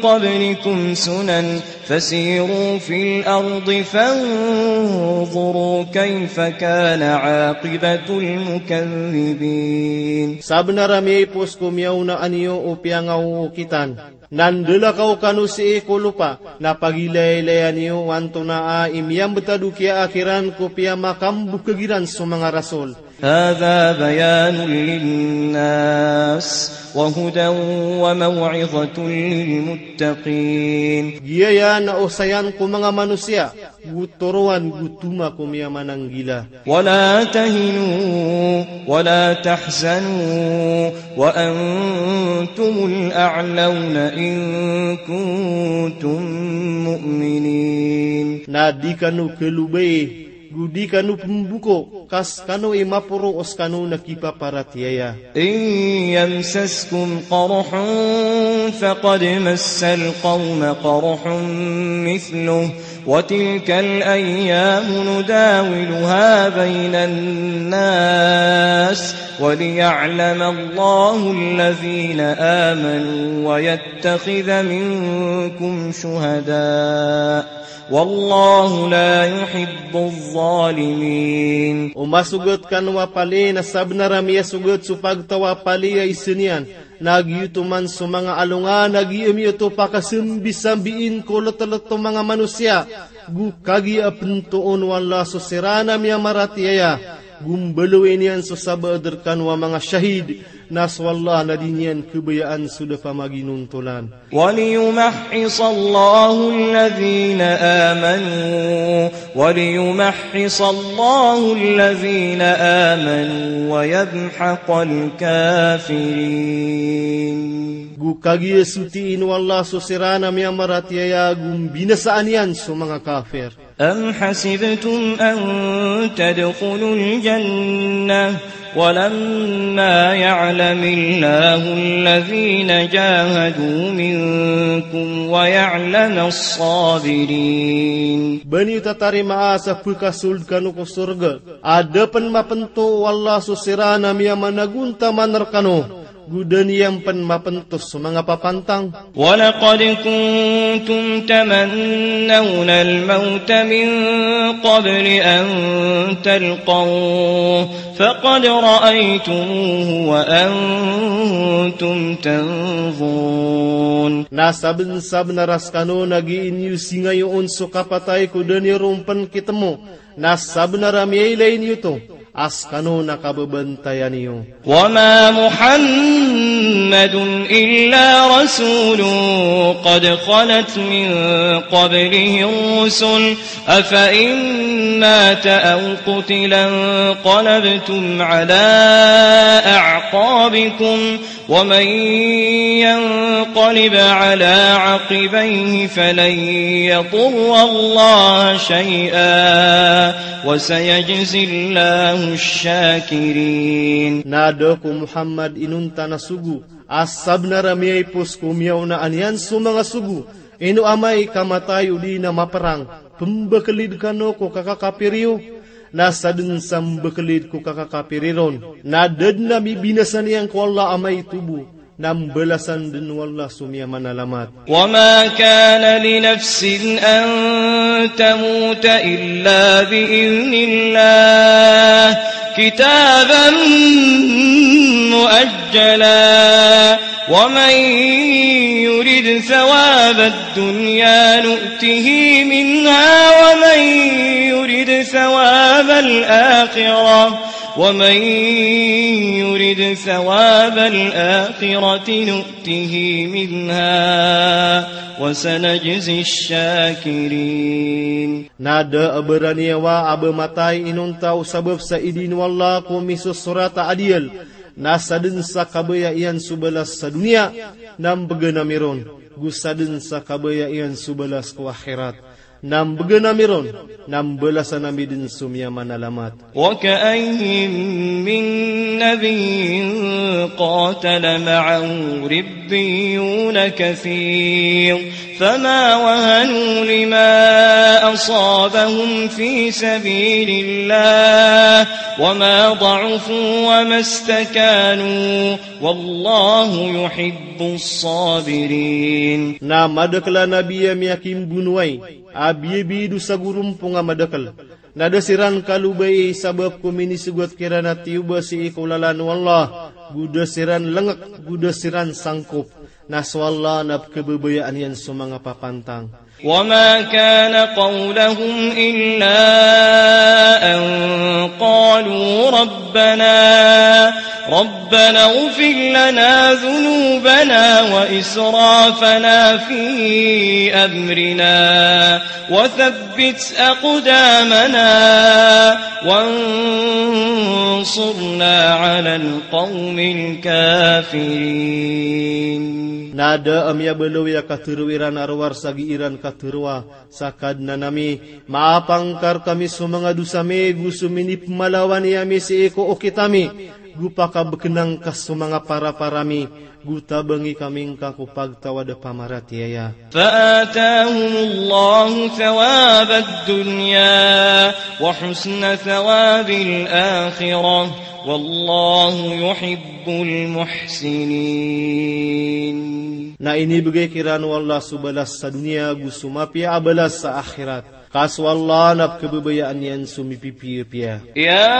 قبلكم سنن فسيروا في الأرض فانظروا كيف كان عاقبة المكذبين. Sabenar a miyaipos ko miyaona aniyo o piyangaokitan, na ndalakaw kano sii ko lopa, na pagilaylaya niyo o antonaa i miyambetad o kiyaakhiran ko piyamakambokhag iran so manga rasol. هذا بيان للناس وهدى وموعظة للمتقين. Giyaya na osayan ko manga manosiya, go toroan go toma ko miyamananggila. ولا تهنوا ولا تحزنوا وأنتم الأعلون إن كنتم مؤمنين. Na di kano kalobai, go di kano pemboko, ka sekano i maporo o sekano na kipaparatiyaya. إن يمسسكم قرح فقد مس القوم قرح مثله وتلك الأيام نداولها بين الناس وليعلم الله الذين آمنوا ويتخذ منكم شهداء والله لا يحب الظالمين. O masogat kano a pali, na sabenar a miyasogat so pagtaw a pali a isen iyan, na giyoto man so manga alongan a giyamiyoto pakasambisambiin ko letelet o manga manosiya, go kagiya a pentoon o Allah so siran a miyamaratiyaya, go mbaloyin iyan so sabaad rekano a manga shahid, na so Allah na di niyan kebayaan so da pamaginontolan. وليمحص الله الذين آمنوا، وليمحص الله الذين آمنوا ويمحق الكافرين. Go kagiya sotiin o Allah so siran a miyamaratiyaya, go mbinasaan iyan so manga kafir. أم حسبتم أن تدخلوا الجنة ولما يعلم الله الذين جاهدوا منكم ويعلم الصابرين. Ba niyo tatarimaa sa pekasold kano ko sorga a da pen mapento o Allah so siran a miyamanagontaman rekano, Go da niyan pn mapentos so manga papantang. ولقد كنتم تمنون الموت من قبل أن تلقوه فقد رأيتموه وأنتم تنظرون. Na sabnsabnar a skano na gii niyo singayoon so kapatay ko da niyo ron pn kitmo. Na sabnar a miyailay niyo oto a skano na kababantayan iyo. وما محمد إلا رسول قد خلت من قبله الرسل أفإن مات أو قتل انقلبتم على أعقابكم ومن ينقلب على عقبيه فلن يضر الله شيئا وسيجزي الله الشاكرين. Na da ko Muhammad inonta na sogo a sabnar a miyaipos ko miyaona niyan so manga sogo, ino amay ka matay odi na maprang, pmbaklid kano ko kakakapir iyo, na sadn sa mbaklid ko kakakapir iron, na da dn a mibinasa niyan ko Allah amay tobo, na mbalasan dn o Allah so miyamanalamat. وما كان لنفس أن تموت إلا بإذن الله كتابا مؤجلا ومن يرد ثواب الدنيا نؤته منها ومن يرد ثواب الآخرة ومن يرد ثواب الآخرة نؤته منها وسنجزي الشاكرين. Na da a baraniyawa a ba matay inonta o sabap sa idin o Allah ko misosorat a adiyal, na sadn sa kabaya iyan so balas sa doniya, na mbgan ami ron, go sadn sa kabaya iyan so balas ko akhirat, na mbgan ami ron, na mbalasan ami dn so miyamanalamat. وكأين من نبي قاتل معه ربيون كثير فما وهنوا لما أصابهم في سبيل الله وما ضعفوا وما استكانوا والله يحب الصابرين. Na madakl a nabi a miyakimbonowai a biyabiyadosa go rompong a madakl. Na da siran kalobai sabap ko minisogat kiran a tiyoba sii ko lalan o Allah, go da siran lngk, go da siran sangkop. Na so Allah na pkhababayaan iyan so manga papantang. وما كان قولهم إلا أن قالوا ربنا، ربنا اغفر لنا ذنوبنا وإسرافنا في أمرنا وثبت أقدامنا وانصرنا على القوم الكافرين. Na da a miyabaloy a katharo iran a rowar sa gii ran katharoa sa Kadnan ami, maapangkar kami so manga dosa mi, go so minipmalawan ami sii ko okit ami, go pakabknang ka so manga parapara mi, go tabangi kami ngka ko pagtawad a pamaratiyaya. فآتاهم الله ثواب الدنيا وحسن ثواب الآخرة والله يحب المحسنين. Na inibgay kiran o Allah so balas sa doniya go so mapiya a balas sa akhirat. Ka so Allah na pkhababayaan iyan so mipipiyapiya. يا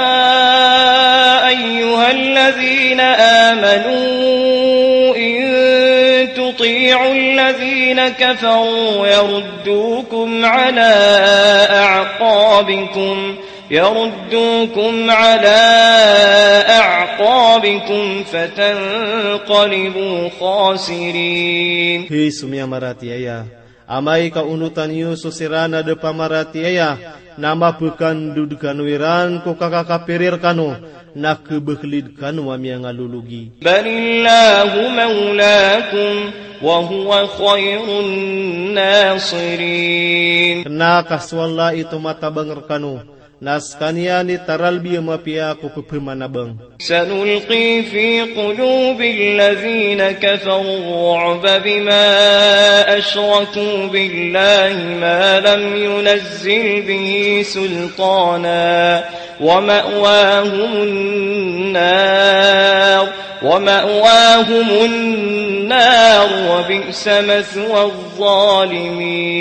أيها الذين آمنوا إن تطيعوا الذين كفروا يردوكم على أعقابكم، يردوكم على أعقابكم فتنقلبوا خاسرين. Hay so miyamaratiyaya, amay ka onotan iyo so siran a da pamaratiyaya, na mapkandod kano iran ko kakakapir rkano, na khabaklid kano a miyangalologi. بل الله مولاكم وهو خير الناصرين. Kna ka so Allah i tomatabang rkano, na skaniyan i taralbi a mapiya ko pphamanabang. سنلقي في قلوب الذين كفروا الرعب بما أشركوا بالله ما لم ينزل به سلطانا ومأواهم النار ومأواهم النار وبئس مثوى الظالمين.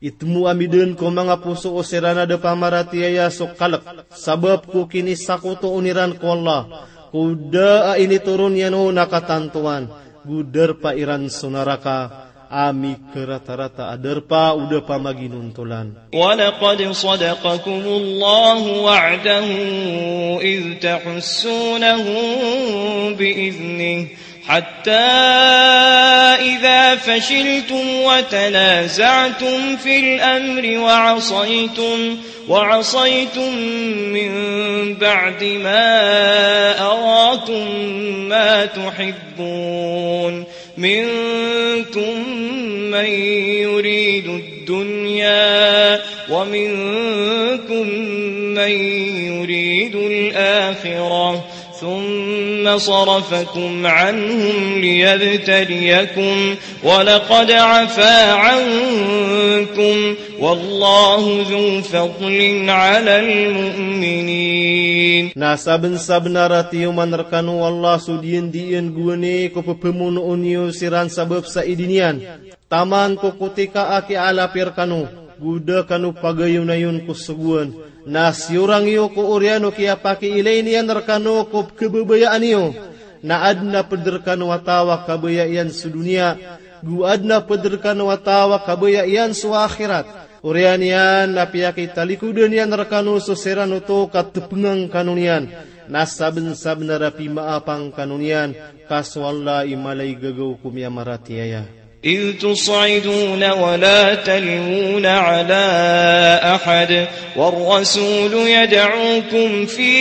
Itmo ami dn ko manga poso o siran a da pamaratiyaya so kalk, sabap ko kinisakoto on iran ko Allah, ko da a initoron iyan on a katantowan, go darpa iran so naraka a mikaratarata a darpa o da pamaginontolan. ولقد صدقكم الله وعده إذ تحسونهم بإذنه حتى إذا فشلتم وتنازعتم في الأمر وعصيتم، وعصيتم من بعد ما أراكم ما تحبون، منكم من يريد الدنيا ومنكم من يريد الآخرة، ثم صرفكم عنهم ليبتليكم، ولقد عفا عنكم، والله ذو فضل على المؤمنين. Na sabnsabnar a tiyoman rkano o Allah so diyandiyan gowani ko pphamonoon iyo siran sabap sa idi niyan. Taman ko kotika a kiyaalapi rkano, go da kano pagayonayon ko sogoan, na siyorang iyo ko oriyan o kiyapakiilay niyan rkano ko pkhababayaan iyo, na adn a pd rkano a taw a kabaya iyan so doniya, go adn a pd rkano a taw a kabaya iyan so akhirat. Oriyan iyan na piyakitalikodan iyan rkano so siran oto ka tpngan kano niyan, na sabnsabnar a pimaapang kano niyan, ka so Allah i mala i gagaw ko miyamaratiyaya. إذ تصعدون ولا تلوون على أحد والرسول يدعوكم في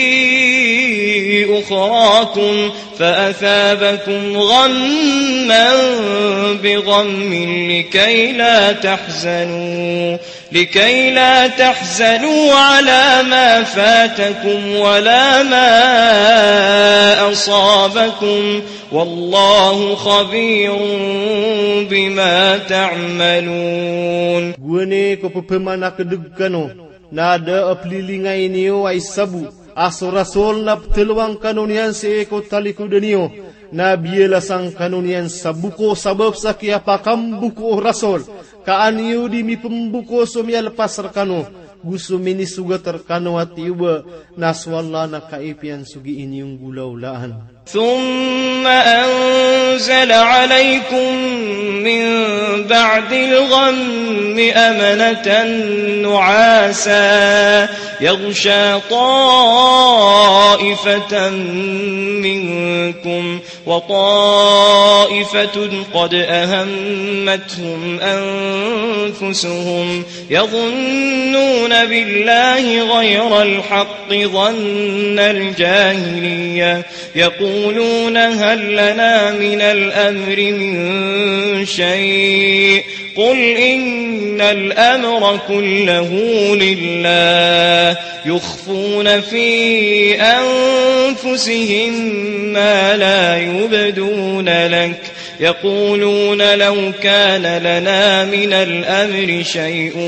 أخراكم فأثابكم غما بغم لكي لا تحزنوا، لكي لا تحزنوا على ما فاتكم ولا ما أصابكم، والله خبير بما تعملون. Gowani ko pphamanakdg kano, na da a plilingayin iyo a isa bo a so Rasul na pthalowang kano niyan sii ko talikodan iyo, na biyalasan kano niyan sa boko sabap sa kiyapakamboko o Rasul, ka an iyo di mipmboko so miyalpas rkano, go so minisogat rkano a tiyoba, na so Allah na kaipiyan so gii niyo nggolawlaan. ثم أنزل عليكم من بعد الغم أمنة نعاسا يغشى طائفة منكم وطائفة قد أهمتهم أنفسهم يظنون بالله غير الحق ظن الجاهلية يقولون هل لنا من الأمر من شيء قل إن الأمر كله لله يخفون في أنفسهم ما لا يبدون لك يقولون لو كان لنا من الأمر شيء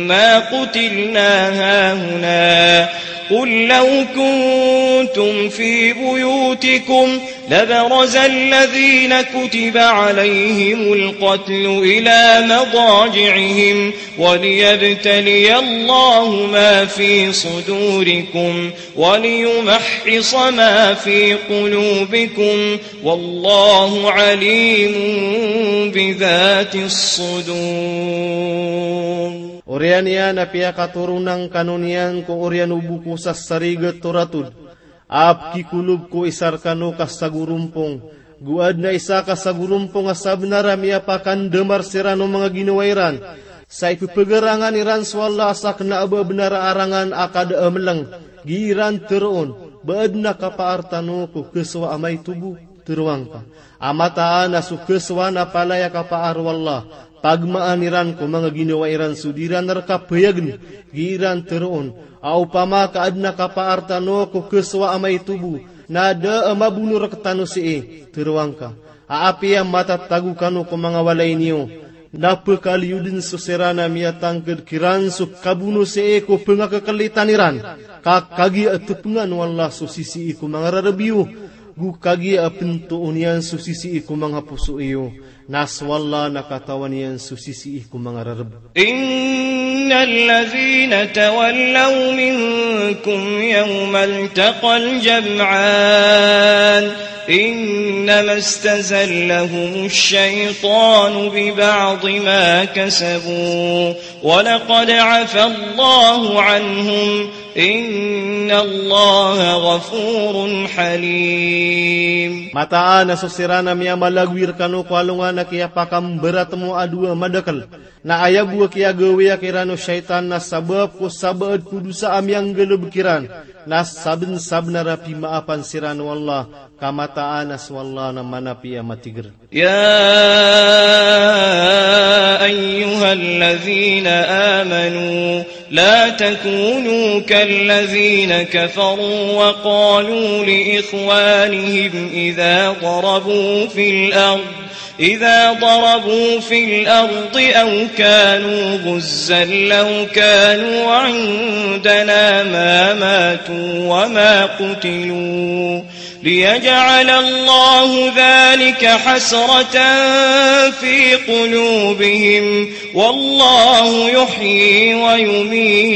ما قتلنا هاهنا قل لو كنتم في بيوتكم لبرز الذين كتب عليهم القتل إلى مضاجعهم وليبتلي الله ما في صدوركم وليمحص ما في قلوبكم والله عليم بذات الصدور. Oriyan iyan a piyakatoronan kano niyan ko oriyan o boko sa sarigat o ratod a pkikolob ko isa rkano ka sagorompong, go adn a isa ka sagorompong a sabnar a miyapakandamar siran o manga ginawa iran, sa ippagarangan iran so Allah a sakn a ba bnar a arangan a kada a mlng, gii ran tharoon, ba adn a kapaar tano ko khasowa a maito bo? Tharoang ka a mataan a so khasowa na palaya kapaar o Allah, pagmaan iran ko manga ginawa iran so di ran rka payagn, gii ran tharoon, a opama ka adn a kapaar tano ko khasowa a maito bo, na da a mabono rktano sii? Tharoang ka a apiya matatago kano ko manga walay niyo, na pkaliyo dn so siran a miyatangkd kiran so kabono sii ko pngakaklitan iran, ka kagiya a tpngan o Allah so sisii ko manga rarb iyo, Go kagiya a pntoon iyan so sisii ko manga poso iyo, na so Allah na katawan iyan so sisii ko manga rarb. إن الذين تولوا منكم يوم التقى الجمعان إنما استزلهم الشيطان ببعض ما كسبوا ولقد عفا الله عنهم إن الله غفور حليم. Mataan a so siran a miyamalagoy rkano ko alongan a kiyapakambaratmo a dowa madakl, na aya bo a kiyagawiya kiran o shaytan na sabap ko sabaad ko dosa a miyanggalbk iran, na sabnsabnar a pimaapan siran o Allah, ka mataan a so Allah na manapi a matigr. يا أيها الذين آمنوا لا تكونوا كالذين كفروا وقالوا لإخوانهم إذا ضربوا في الأرض إذا ضربوا في الأرض أو كانوا غزا لو كانوا عندنا ما ماتوا وما قتلوا ليجعل الله ذلك حسرة في قلوبهم والله يحيي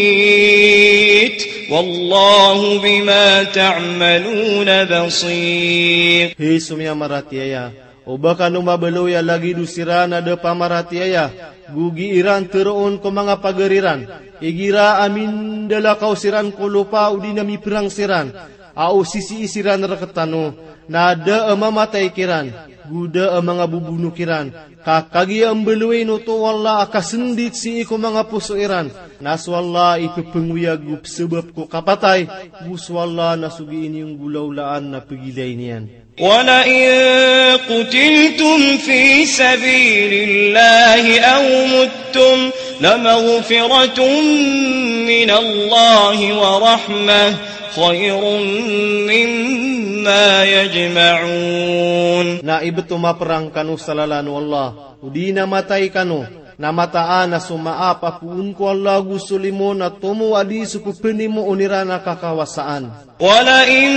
ويميت والله بما تعملون بصير. Hay so miyamaratiyaya, o ba kano mabaloy a lagid o siran a da pamaratiyaya, go gii ran tharoon ko manga pagari ran, igira a mindalakaw siran ko lopa odi na miprang siran, a o sisii siran rktano, na da a mamatay kiran, go da a manga bobono kiran, ka kagiya a mbaloyin oto o Allah a kasndit sii ko manga poso iran, na so Allah i pphangoyag o psabap ko kapatay, go so Allah na so gii niyo nggolawlaan na pagilay niyan. ولئن قتلتم في سبيل الله أو متم لمغفرة من الله ورحمة خير مما يجمعون. Na ibt o maprang kano sa lalan o Allah, odi na matay kano, na mataan a so maap a poon ko Allah go so limo na tomo a di so pphanimoon iran a kakawasaan. ولئن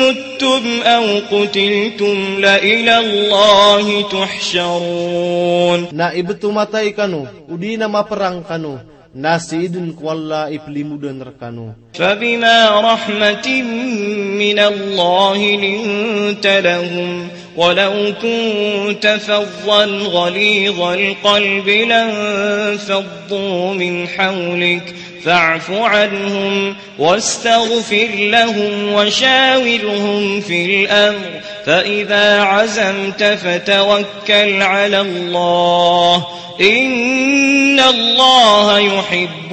متم أو قتلتم لإلى الله تحشرون. Na ibt o matay kano, odi na maprang kano, na sii dn ko Allah i plimodan rkano. فبما رحمة من الله لنت لهم ولو كنت فظا غليظ القلب لانفضوا من حولك فاعف عنهم واستغفر لهم وشاورهم في الأمر فإذا عزمت فتوكل على الله إن الله يحب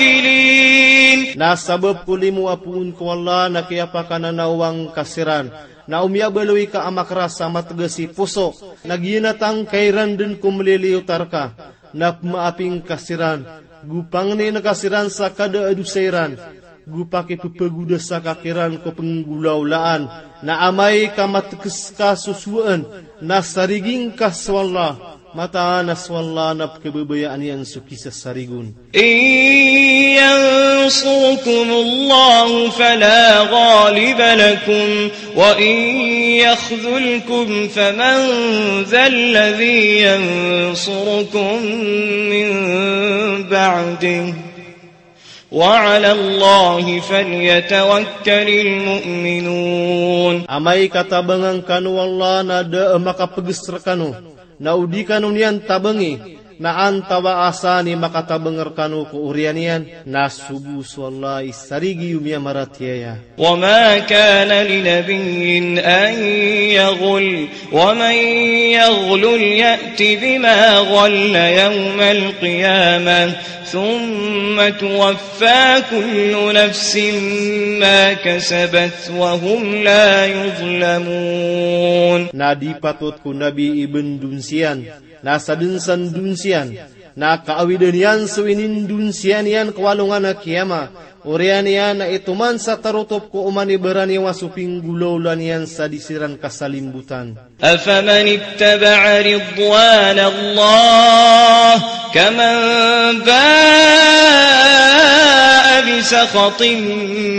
المتوكلين. Na sabap ko limo a poon ko Allah na kiyapakananawang ka siran, na o miyabaloy ka a makras a matgas i poso, na giyanatangka iran dn ko mliliyotar ka, na pmaaping ka siran, go pangnin ka siran sa kada a dosa iran, go pakippagodasa ka kiran ko pnggolawlaan, na amay ka matgs ka sosowaan, na sariging ka so Allah, mataan a so Allah na pkhababayaan iyan so kisasarigon. إن ينصركم الله فلا غالب لكم وإن يخذلكم فمن ذا الذي ينصركم من بعده وعلى الله فليتوكل المؤمنون. Amay ka tabangan kano o Allah na da a makapgs rkano, na o di kano niyan tabangi, na antawaa san i makatabang rkano ko oriyan iyan, na so bo so Allah i sarigi o miyamaratiyaya. وما كان لنبي أن يغل ومن يغلل يأت بما غل يوم القيامة ثم توفى كل نفس ما كسبت وهم لا يظلمون. Na di patot ko Nabi i bndonsiyan, na sadn sa ndonsiyan, na kaawidan iyan so inindonsiyan iyan ko alongan a kiyama, oriyan iyan na itoman sa tarotop ko oman i baraniyawa so pinggolawla niyan sa di siran kasalimbotan. أفمن اتبع رضوان الله كمن باء سخط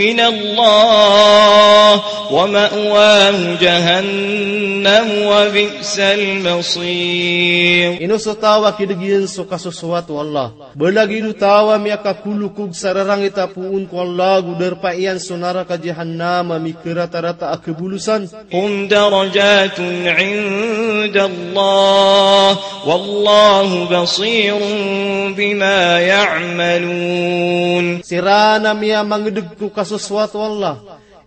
من الله ومأواه جهنم وبئس المصير. Ino so taw a kideg iyan so kasosoat o Allah. Ba lagid o taw a miyakakolokog sa rarangit a poon ko Allah, go darpa iyan so naraka Jahannam a mikaratarata a kabolosan. هم درجات عند الله والله بصير بما يعملون. Siran a miyamangedeg ko kasosoat o Allah,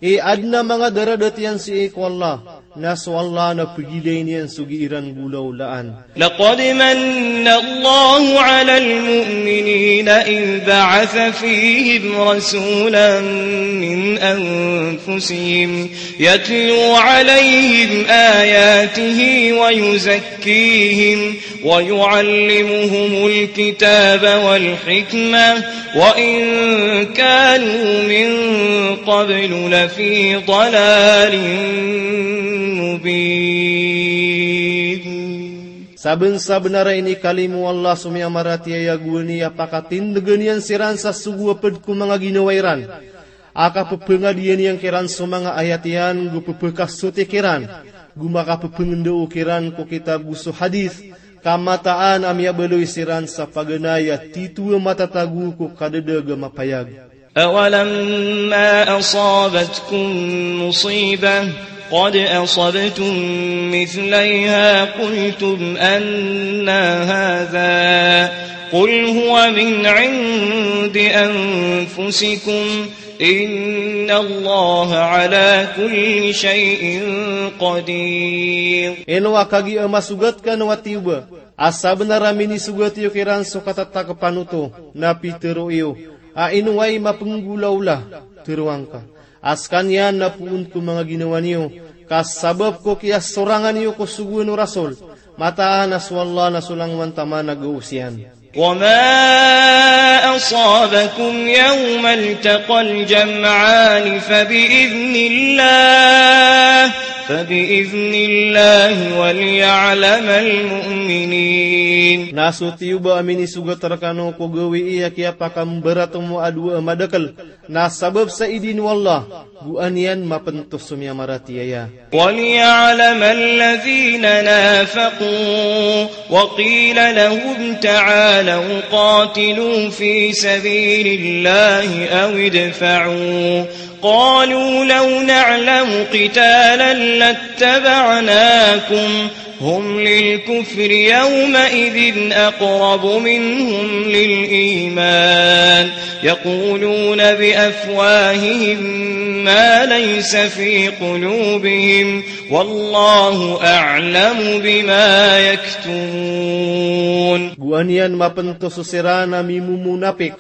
i aden a manga daradat iyan sii ko Allah, na so Allah na pegilayn iyan so gii ran golaolaan. لقد من الله على المؤمنين إذ بعث فيهم رسولا من أنفسهم يتلو عليهم آياته ويزكيهم ويعلمهم الكتاب والحكمة وإن كانوا من قبل لفي ضلال مبين. Sabensabenar a inikalimo o Allah so miyamaratiyaya, gowani a pakatindegen iyan siran sa sogo a ped ko manga ginawa iran a kapepengadiyan iyan kiran so manga ayat iyan, go pepekasoti kiran, go makapepengendao kiran ko kitab go so hadith, ka mataan a miyabaloy siran sa paganay a tito a matatago ko kadadag a mapayag. أولما أصابتكم مصيبة قد أصبتم مثليها قلتم أنى هذا قل هو من عند أنفسكم إن الله على كل شيء قدير. Ino a kagiya masogat kano a tiyoba a sabenar a minisogat iyo kiran so katatakepan oto, na pitero iyo a ino ay mapenggolaola, teroangka a sekaniyan na poon ko manga ginawa niyo, ka sabap ko kiyasorangan iyo ko sogoan o Rasul, mataan a so Allah na so langowan taman a gaos iyan. وما أصابكم يوم التقى الجمعان فبإذن الله، فبإذن الله وليعلم المؤمنين. Na so tiyoba a minisogat rekano ko gawii a kiyapakambaratomo a dowa a madakel, na sabap sa idin o Allah, go an iyan mapentos so miyamaratiyaya. وليعلم الذين نافقوا وقيل لهم تعالوا قاتلوا في سبيل الله أو ادفعوا قالوا لو نعلم قتالا لاتبعناكم هم للكفر يومئذ أقرب منهم للإيمان يقولون بأفواههم ما ليس في قلوبهم والله أعلم بما يكتمون. Go an iyan mapentos so siran a mimomonapik,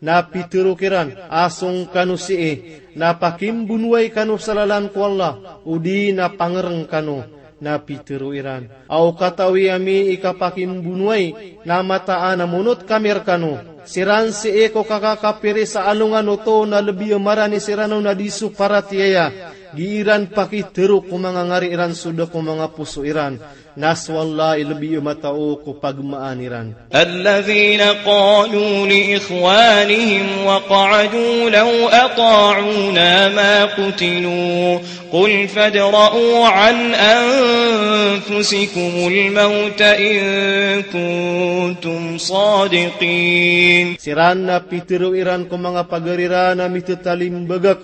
na pitero kiran a song kano sii, na pakimbonowai kano sa lalan ko Allah, odi na pangereng kano, na pitero iran a o katawi ami i kapakimbonowai, na mataan a monot kami rekano. Siran sii ko kakakapiri sa alongan oto na lebi a marani siran on a di so paratiyaya, gii ran pakitero ko manga ngari iran so da ko manga poso iran. Na so Allah i lebi a matao ko pagmaan iran. الذين قالوا لإخوانهم وقعدوا لو أطاعونا ما قتلوا قل فادرءوا عن أنفسكم الموت إن كنتم صادقين. Siran na pitero iran ko manga pagari ran a mitetalimbagak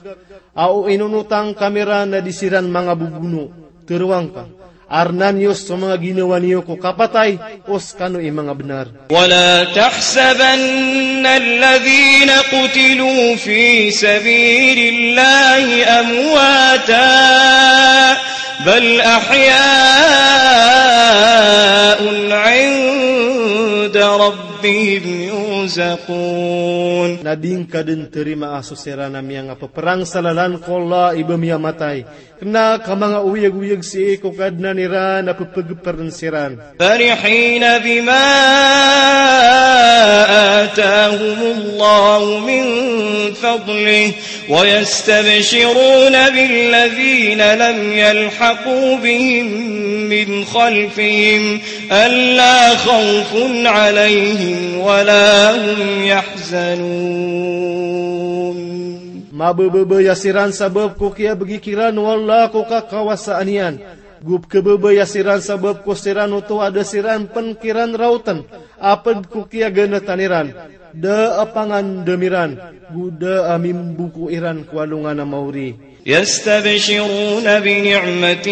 a o inonotang kami ran na di siran manga bobono. Teroangka a rena niyo so manga ginawa niyo ko kapatay, o sekano i manga benar. ولا تحسبن الذين قتلوا في سبيل الله أمواتا بل أحياء عند ربهم يرزقون. Na di ngka den terimaa so siran a miyangapeperang sa lalan ko Allah i ba miyamatay, kena ka manga oyagoyag sii ko Kadnan iran a pepegeperen siran. فرحين بما آتاهم الله من فضله ويستبشرون بالذين لم يلحقوا بهم من خلفهم ألا خوف عليهم ولا هم يحزنون. Mabebebaya siran sabap ko kiyabegi kiran o Allah ko kakawasaan iyan. Go pekebebaya siran sabap ko siran oto a da siran pen kiran raoten a ped ko kiyaganatan iran, da a pangandam iran, go da a mimboko iran ko alongan a maori. يستبشرون بنعمة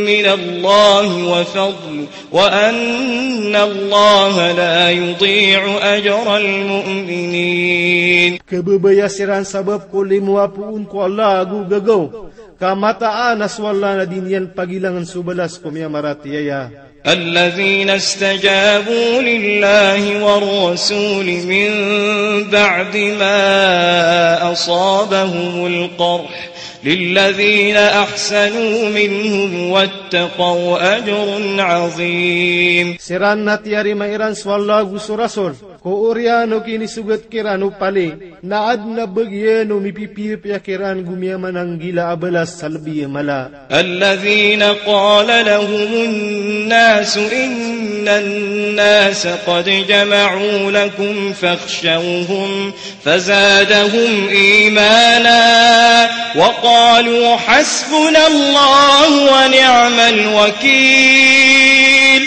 من الله وفضل وأن الله لا يضيع أجر المؤمنين. Kebebaya siran sabap ko limo a poon ko Allah ago gegaw, ka mataan a so Allah na di niyan pagilangen so balas ko miyamaratiyaya. الذين استجابوا لله والرسول من بعد ما أصابهم القرح للذين أحسنوا منهم واتقوا أجر عظيم. Siran na tiyarima iran so Allah ago so Rasul ko oriyan o kinisogat kiran o pali, na aden a bagian o mipipiyapiya kiran go miyamananggila a balas a lebi a mala. الذين قال لهم الناس إن الناس قد جمعوا لكم فاخشوهم فزادهم إيمانا وقالوا حسبنا الله ونعم الوكيل.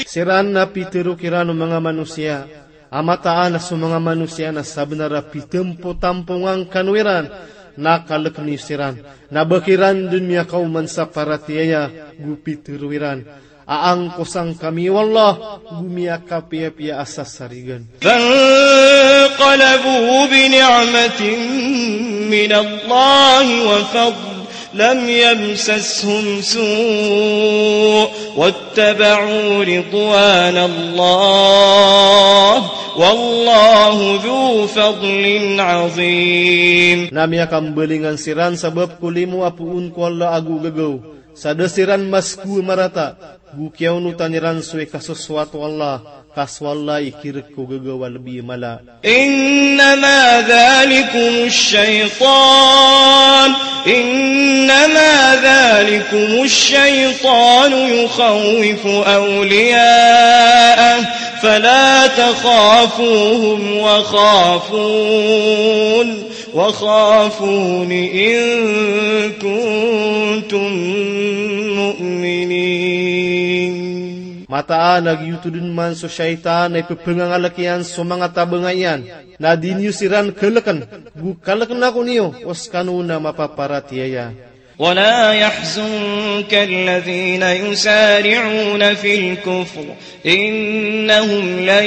Siran na pitero kiran o manga manosiya a mataan a so manga manosiya na sabenar a pitempotampongan kano iran, na kaleken iyo siran, na ba kiran den miyakaoman sa paratiyaya, go pitero iran a angkosan kami o Allah go miyakapiyapiya a sasarigan. فانقلبوا بنعمة من الله وفضل لم يمسسهم سوء واتبعوا رضوان الله والله ذو فضل عظيم. Na miyakambalingan siran sabap ko limo a poon ko Allah ago gegaw, sa da siran masko a marata, go kiyaonotan iran so ikasosoat o Allah, ka so Allah i kirek ko gegaw a lebi a mala. إنما ذلكم الشيطان، إنما ذلكم الشيطان يخوف أولياءه فلا تخافوهم وخافون وخافون إن كنتم مؤمنين. Mataan a giyoto den man so shaytan a ipepengangalek iyan so manga tabenga iyan, na di niyo siran keleken, go kaleken ako niyo o sekano na mapaparatiyaya. ولا يحزنك الذين يسارعون في الكفر إنهم لن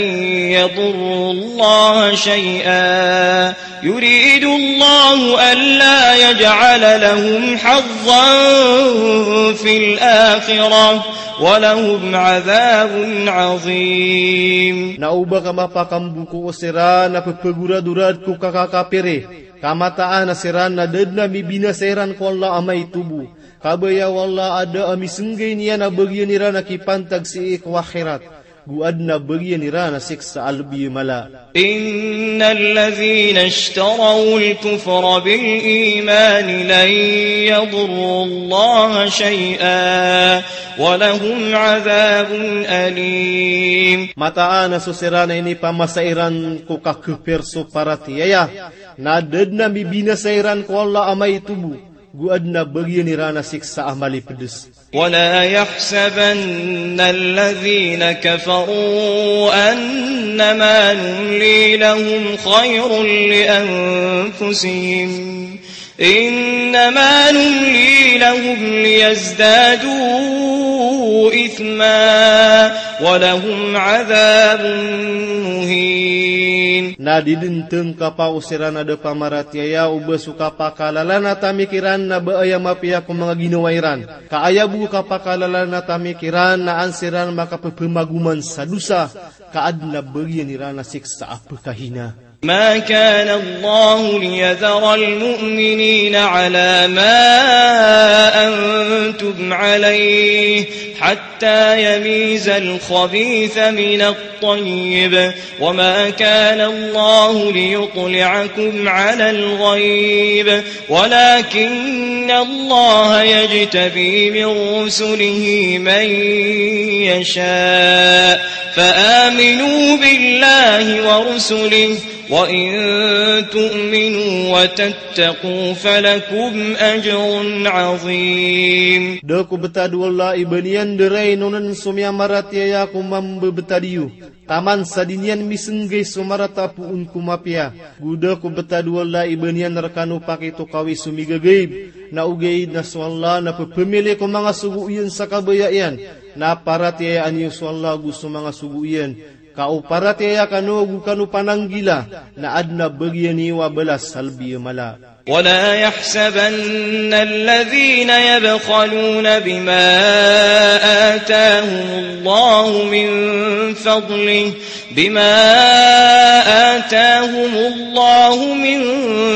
يضروا الله شيئا يريد الله ألا يجعل لهم حظا في الآخرة ولهم عذاب عظيم. Na oba ka mapakamboko o siran a pepegoradorad ko kakakapiri, ka mataan a siran na da den a mibinasa iran ko Allah a maito bo. Kabaya o Allah a da a misenggay niyan a bagian iran a kipantag sii ko akhirat, go aden a bagian iran a siksa a lebi a mala. إن الذين اشتروا الكفر بالإيمان لن يضروا الله شيئا ولهم عذاب أليم. Mataan a so siran a inipamasa iran ko kakepir so paratiyaya, na da den a mibinasa iran ko Allah a maito bo, go aden a bagian iran a siksa a malipedes. ولا يحسبن الذين كفروا أنما نملي لهم خير لأنفسهم إنما نملي لهم ليزدادوا إثما ولهم عذاب مهين. Na di den tengkapa o siran a da pamaratiyaya o ba so kapakalalan a tamik iran na ba aya mapiya ko manga ginawa iran. Ka aya bo kapakalalan a tamik iran na an siran makapepemagoman sa dosa, ka aden a bagian iran a siksa a pekahina. ما كان الله ليذر المؤمنين على ما أنتم عليه حتى يميز الخبيث من الطيب، وما كان الله ليطلعكم على الغيب، ولكن الله يجتبي من رسله من يشاء، فآمنوا بالله ورسله، وإن تؤمنوا وتتقوا فلكم أجر عظيم. Da ko btad o Allah i ba niyan dii inonon so miyamaratiyaya ko mambebetad iyo, taman sa di niyan misnggay so marata a poon ko mapiya. Go da ko btad o Allah i ba niyan rkano pakitokawi so migagaib, na ogaid na so Allah na pphamili ko manga sogo iyan sa kabaya iyan, na paratiyayaan iyo so Allah go so manga sogo iyan. Ka o paratiyaya kano go kano pananggila, na adn a bagian iyo a balas sa lbi a mala. ولا يحسبن الذين يبخلون بما آتاهم الله من فضله، بما آتاهم الله من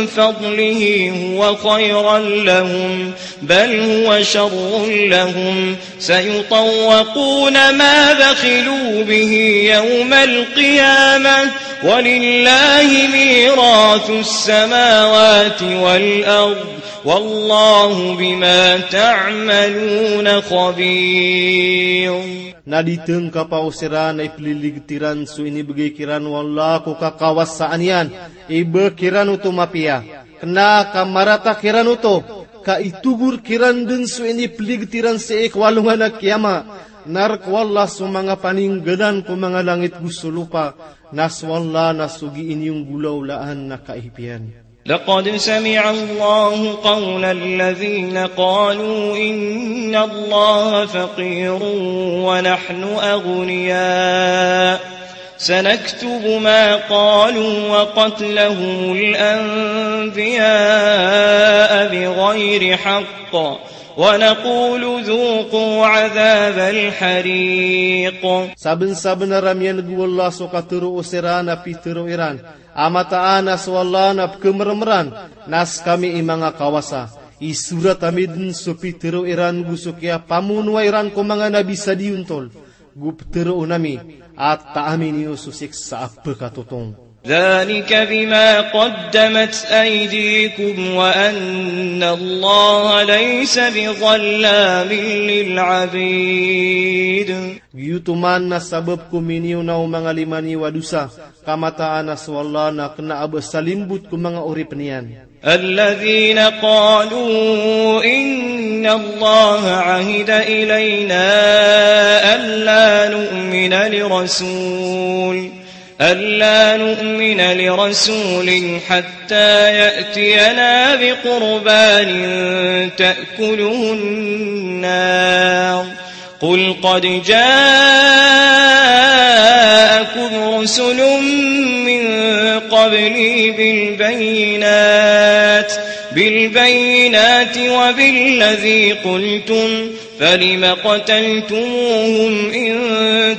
فضله هو خيرا لهم، بل هو شر لهم، سيطوقون ما بخلوا به يوم القيامة، ولله ميراث السماوات والأرض، والله بما تعملون خبير. Na di tngkapa o siran a ipliligtiran so inibgay kiran o Allah ko kakawasaan iyan, i ba kiran oto mapiya. Kna ka marata kiran oto, ka itogor kiran dn so inipligtiran sii ko alongan a kiyama. Na rk o Allah so manga paninggalan ko manga langit go so lopa, na so Allah na so giiniyong golaolaan na kaipiyan. لقد سمع الله قول الذين قالوا إن الله فقير ونحن أغنياء، سنكتب ما قالوا وقتلهم الأنبياء بغير حق، ونقول ذوقوا عذاب الحريق. Sabnsabnar a miyan'g o Allah so katharo o siran a pitharo iran a mataan a so Allah na pkhamrmran, na skami i manga kawasa. Isorat ami dn so pitharo iran go so kiyapamonoa iran ko manga nabi sa diyontol. Go ptharoon ami a taami niyo so siksa a pkatotong. ذلك بما قدمت أيديكم وأن الله ليس بظلام للعبيد. Giyoto man na sabap ko miniyonaw o manga lima niyo a dosa, ka mataan a so Allah na kna a ba salimbot ko manga oripn iyan. الذين قالوا إن الله عهد إلينا ألا نؤمن لرسول، ألا نؤمن لرسول حتى يأتينا بقربان تأكله النار. قل قد جاءكم رسل من قبلي بالبينات، بالبينات وبالذي قلتم، فلم قتلتموهم إن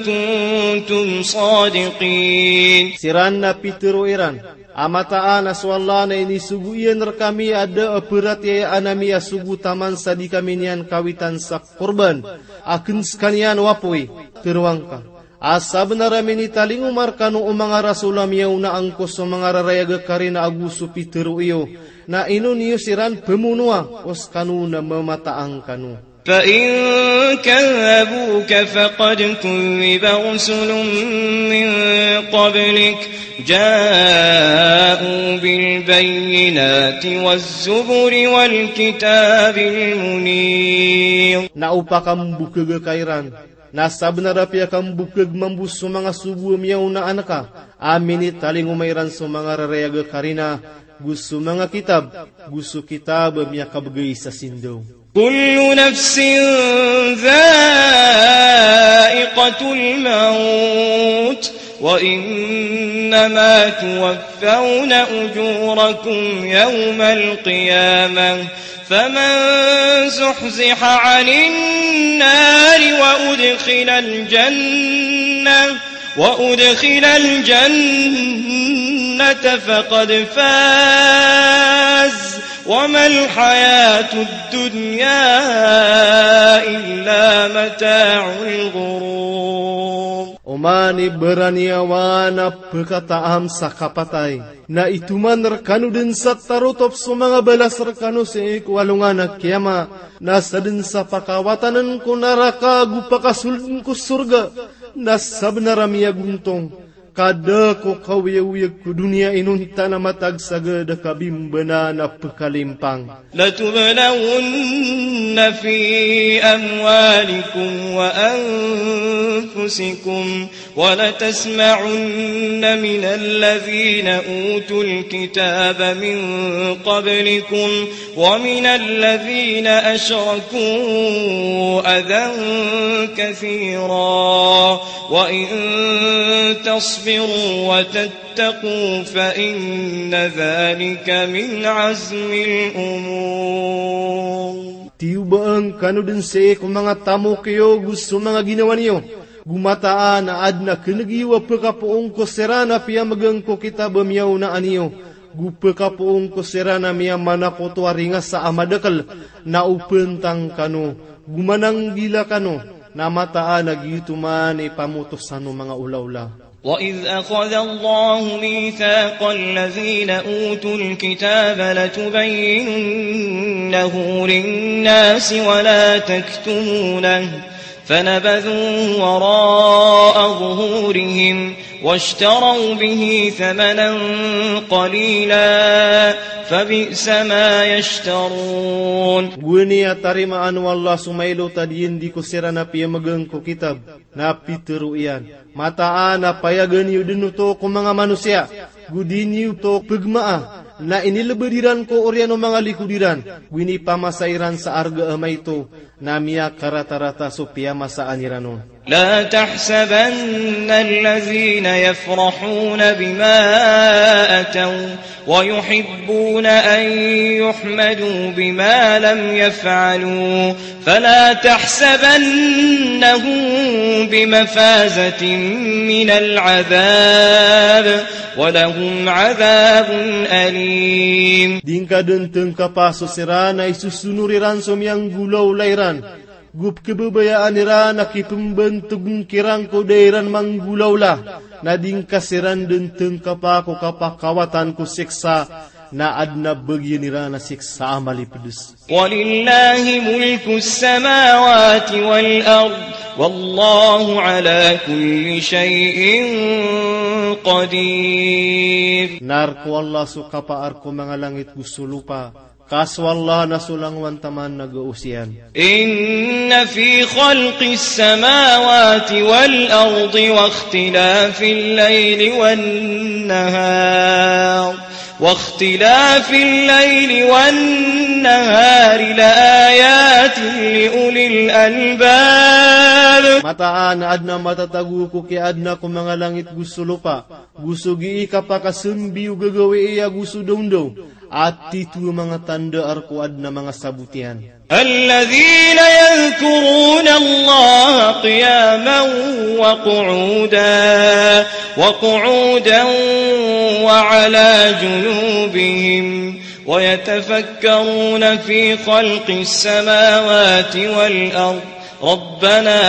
كنتم صادقين. Siran na pitharo iran a mataan a so Allah na inisogo iyan rkami a da a pharatiyayaan ami a sogo taman sa di kami niyan kawitan sa korban a kn skaniyan o apoy. Tharoang ka a sabnar a minitalingoma rkano o manga rasol a miyaona angko so manga rarayag a karina ago so pitharo iyo, na ino niyo siran pmonoa, o skano na mamataang kano. فإن كذبوك فقد كذب رسل من قبلك جاءوا بالبينات والزبر والكتاب المنير. Na o pakambokhag ka iran, na sabnar a piyakambokhag mambo so manga sogo a miyaonaan ka, a minitalingoma iran so manga rarayag a karina, go so manga kitab, go so kitab a miyakabgay sa sindaw. كل نفس ذائقة الموت وإنما توفون أجوركم يوم القيامة فمن زحزح عن النار وأدخل الجنة، وأدخل الجنة فقد فاز وما الحياة الدنيا إلا متاع الغرور. Oman i baraniyawa na pkhataam sa kapatay, na itoman rkano dn sa tarotop so manga balas rkano sii ko alongan a kiyama, na sadn sa pakawatann ko naraka ago pakasoldn ko sorga, na sabnar a miyagontong ka da ko kaoyagoyag ko doniya inonta na matag sa gada kabimbanan a pkalimpang. لتبلون في أموالكم وأنفسكم ولتسمعن من الذين أوتوا الكتاب من قبلكم ومن الذين أشركوا أذى كثيرا وإن تصبروا وتتقوا فإن ذلك من عزم الأمور. Tiyoba ngkano dn sii ko manga tamok iyo ago so manga ginawa niyo, go mataan a adn a kneg iyo a pkapoon ko siran a piyamgn ko kitab a miyaonaan iyo, go pkapoon ko siran a miyamanakoto a ringasa a madakl, na opntang kano, go mananggila kano, na mataan a giyoto man i pamotosan o manga olaola. وإذ أخذ الله ميثاق الذين أوتوا الكتاب لتبيننه للناس ولا تكتمونه فنبذوه وراء ظهورهم واشتروا به ثمنا قليلا فبئس ما يشترون. Gowani a tarimaan o Allah so mailot a diyandi ko siran a piyamgn ko kitab, na pitharo iyan, mataan a payagan iyo dn oto ko manga manosiya, go di niyo oto pgmaa, na inilbd iran ko oriyan o manga likod iran, go inipamasa iran sa arga a maito, na miyakaratarata so piyamasaan iran on. لا تحسبن الذين يفرحون بما أتوا ويحبون أن يحمدوا بما لم يفعلوا فلا تحسبنهم بمفازة من العذاب ولهم عذاب أليم. Di ngka dn tngkapa so siran a isosonor iran so miyanggolawla iran, go pkhababayaan iran a kipmbantogn kiran ko da iran manggolawla, na di ngka siran dn tngkapa ko kapakawatan ko siksa, na adn a bagian iran a siksa a malipds. ولله ملك السماوات والأرض والله على كل شيء قدير. Na rk o Allah so kapaar ko manga langit go so lopa, ka so Allah na so langowan taman a gaos iyan. إن في خلق السماوات والأرض واختلاف الليل والنهار واختلاف الليل والنهار لآيات لأولي الألباب. Mataan a adn a matatago ko kiyaadna ko manga langit go so lopa, go so gii kapakasambi o gagawii ago so dawndaw, a tito a manga tanda a rk o adn a manga sabot iyan. الذين يذكرون الله قياما وقعودا، وقعودا وعلى جنوبهم، ويتفكرون في خلق السماوات والأرض، ربنا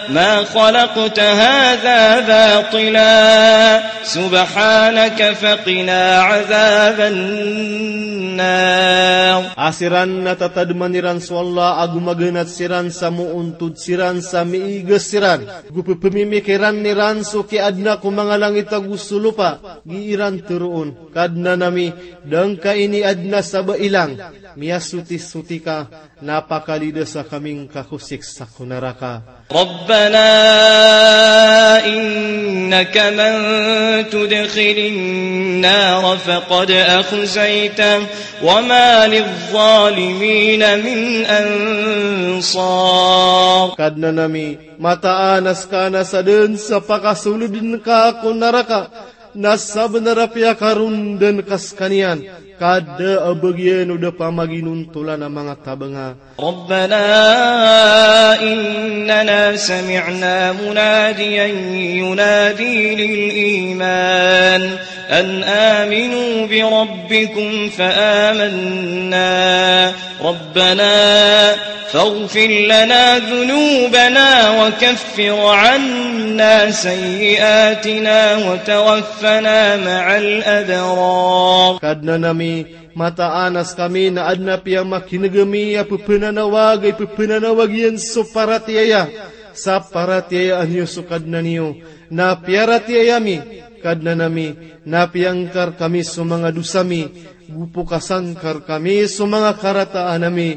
ما خلقت هذا باطلا، سبحانك فقنا عذاب النار. A siran na tatadman iran so Allah ago maganat siran sa moontod siran sa miigas siran, go pphamimikiran iran so kiyaadna ko manga langit ago so lopa, gii iran tharoon, Kadnan ami, da ngka iniadna sa ba ilang, miyasotisoti ka, na pakalidasa kami ngka ko siksa ko naraka. ربنا إنك من تدخل النار فقد أخزيته وما للظالمين من أنصار. Kadnan ami, mataan a ska na sadn sa pakasoldn ka ko naraka, na sabnar a piyakarondan ka skaniyan, Ka da a bagian o da pamaginontolan a manga tabanga. ربنا إننا سمعنا مناديا ينادي للإيمان أن آمنوا بربكم فآمنا. ربنا فاغفر لنا ذنوبنا وكفر عنا سيئاتنا وتوفنا مع الأبرار. Kadnan ami, mataan a skami na adn a piyamakineg ami a pepenanawag a ipepenanawag iyan so paratiyaya, sa paratiyayaan iyo so Kadnan iyo, na piyaratiyaya mi, Kadnan ami, na piyangkar kami so manga dosa mi, go pokasan ka rkami so manga karataan ami,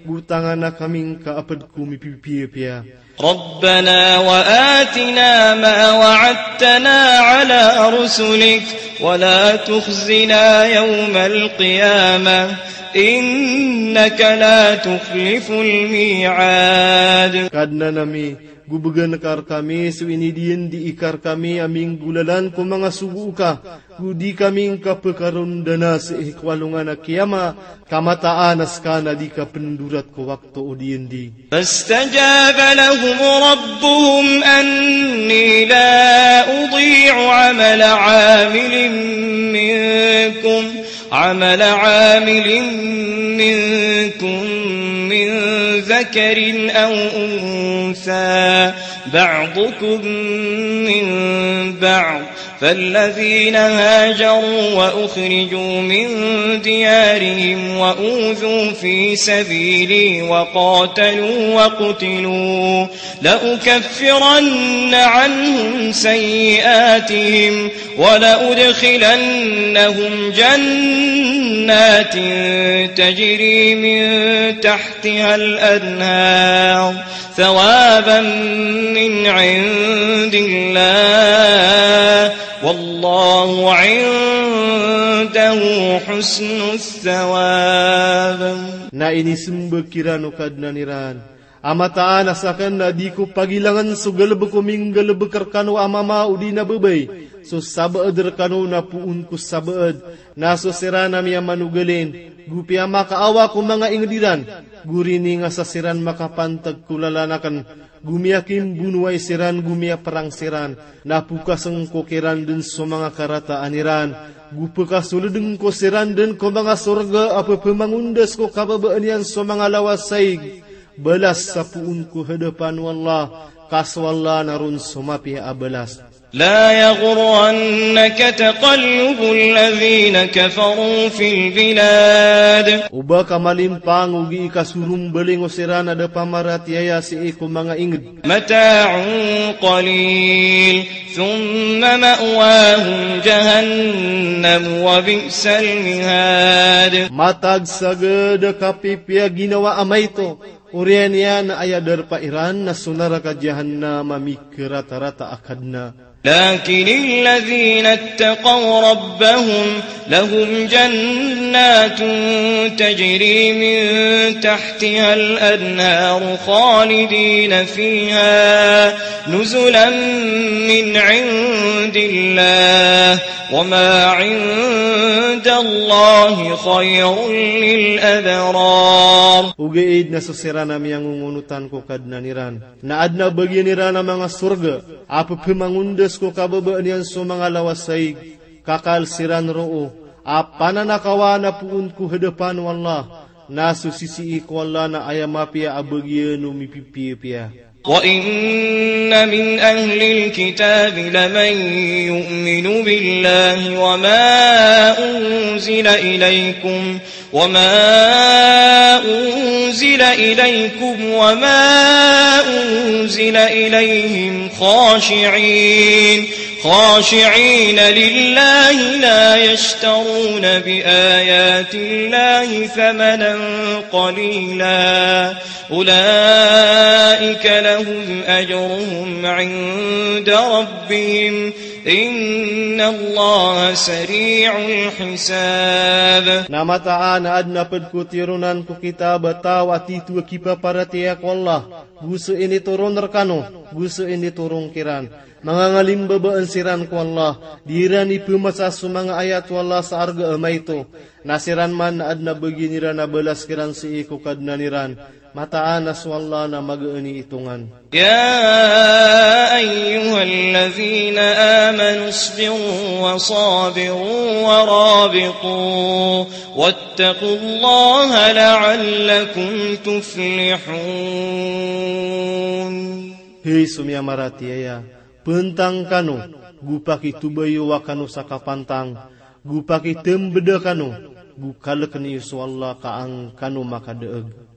go tangana kami ngka a ped ko mipipiyapiya. ربنا وآتنا ما وعدتنا على رسلك ولا تخزنا يوم القيامة إنك لا تخلف الميعاد. Kadnan ami, go began ka rkami so inidiyandi ka rkami a minggolalan ko manga sogo ka, go di kami ngka pekarondanas i ko alongan a kiyama, ka mataan a ska na di ka pendorat ko wakto o diyandi. فاستجاب لهم ربهم أني لا أضيع عمل عامل منكم، عمل عامل منكم من ذكر أو أنثى، بعضكم من بعض، فالذين هاجروا وأخرجوا من ديارهم وأوذوا في سبيلي وقاتلوا وقتلوا لأكفرن عنهم سيئاتهم ولأدخلنهم جنات تجري من تحتها الأنهار ثوابا من عند الله والله عنده حسن الثواب. Na inisembag kiran o Kadnan iran a mataan a saken na di ko pagilangen so galebek o minggalebek rekano a mama odi na bebay, so sabaed rekano na poon ko sabaed, na so siran a miyamanogalin, go piyamakaawa ko manga inged iran, go rininga sa siran makapantag ko lalanaken, go miyakimbonowai siran, go miyaperang siran, na pokasen ko kiran den so manga karataan iran, go pekasoleden ko siran den ko manga sorga a pepemangondas ko kababaan iyan so manga lawas a ig, balas sa poon ko hadapan o Allah, ka so Allah na ron so mapiya a balas. لا يغرنك تقلب الذين كفروا في البلاد. Oba ka malimpang o gii kasorombaling o siran a da pamaratiyaya sii ko manga inged. متاع قليل ثم مأواهم جهنم وبئس المهاد. Matag sa geda kapipiya ginawa a maito, oriyan iyan a aya darpa iran na so naraka Jahannam a mikeratarata a kadna. لكن الذين اتقوا ربهم لهم جنات تجري من تحتها الأنهار خالدين فيها نزلا من عند الله وما عند الله خير للأبرار. Ogaid na so siran a miyangongonotan ko Kadnan iran na adn a bagian iran a manga sorga a pepemangondas ko kababaan iyan so manga lawas a ig, kakal siran roo a pananakawan a poon ko hadapan o Allah, na so sisii ko Allah na aya mapiya a bagian o mipipiyapiya. وإن من أهل الكتاب لمن يؤمن بالله وما أنزل إليكم وما أنزل إليكم وما أنزل إليهم خاشعين، خاشعين لله لا يشترون بآيات الله ثمنا قليلا، أولئك لهم أجرهم عند ربهم إن الله سريع الحساب. Na mataan a adn a ped ko tironan ko kitab a taw a tito a kipaparatiyaya ko Allah, go so initoron rekano, go so initoron kiran. Manga ngalimbabaan siran ko Allah, di iran ipemasa so manga ayat o Allah sa arga a maito, na siran man na aden a bagian iran a balas kiran sii ko Kadnan iran, mataan a so Allah na magaan i itongan. يا أيها الذين آمنوا اصبروا وصابروا ورابطوا واتقوا الله لعلكم تفلحون. Hay so miyamaratiyaya, pantang kano, go pakitobayowa kano sa kapantang, go pakitembeda kano, go kaleken iyo so Allah ka an kano makadaeg.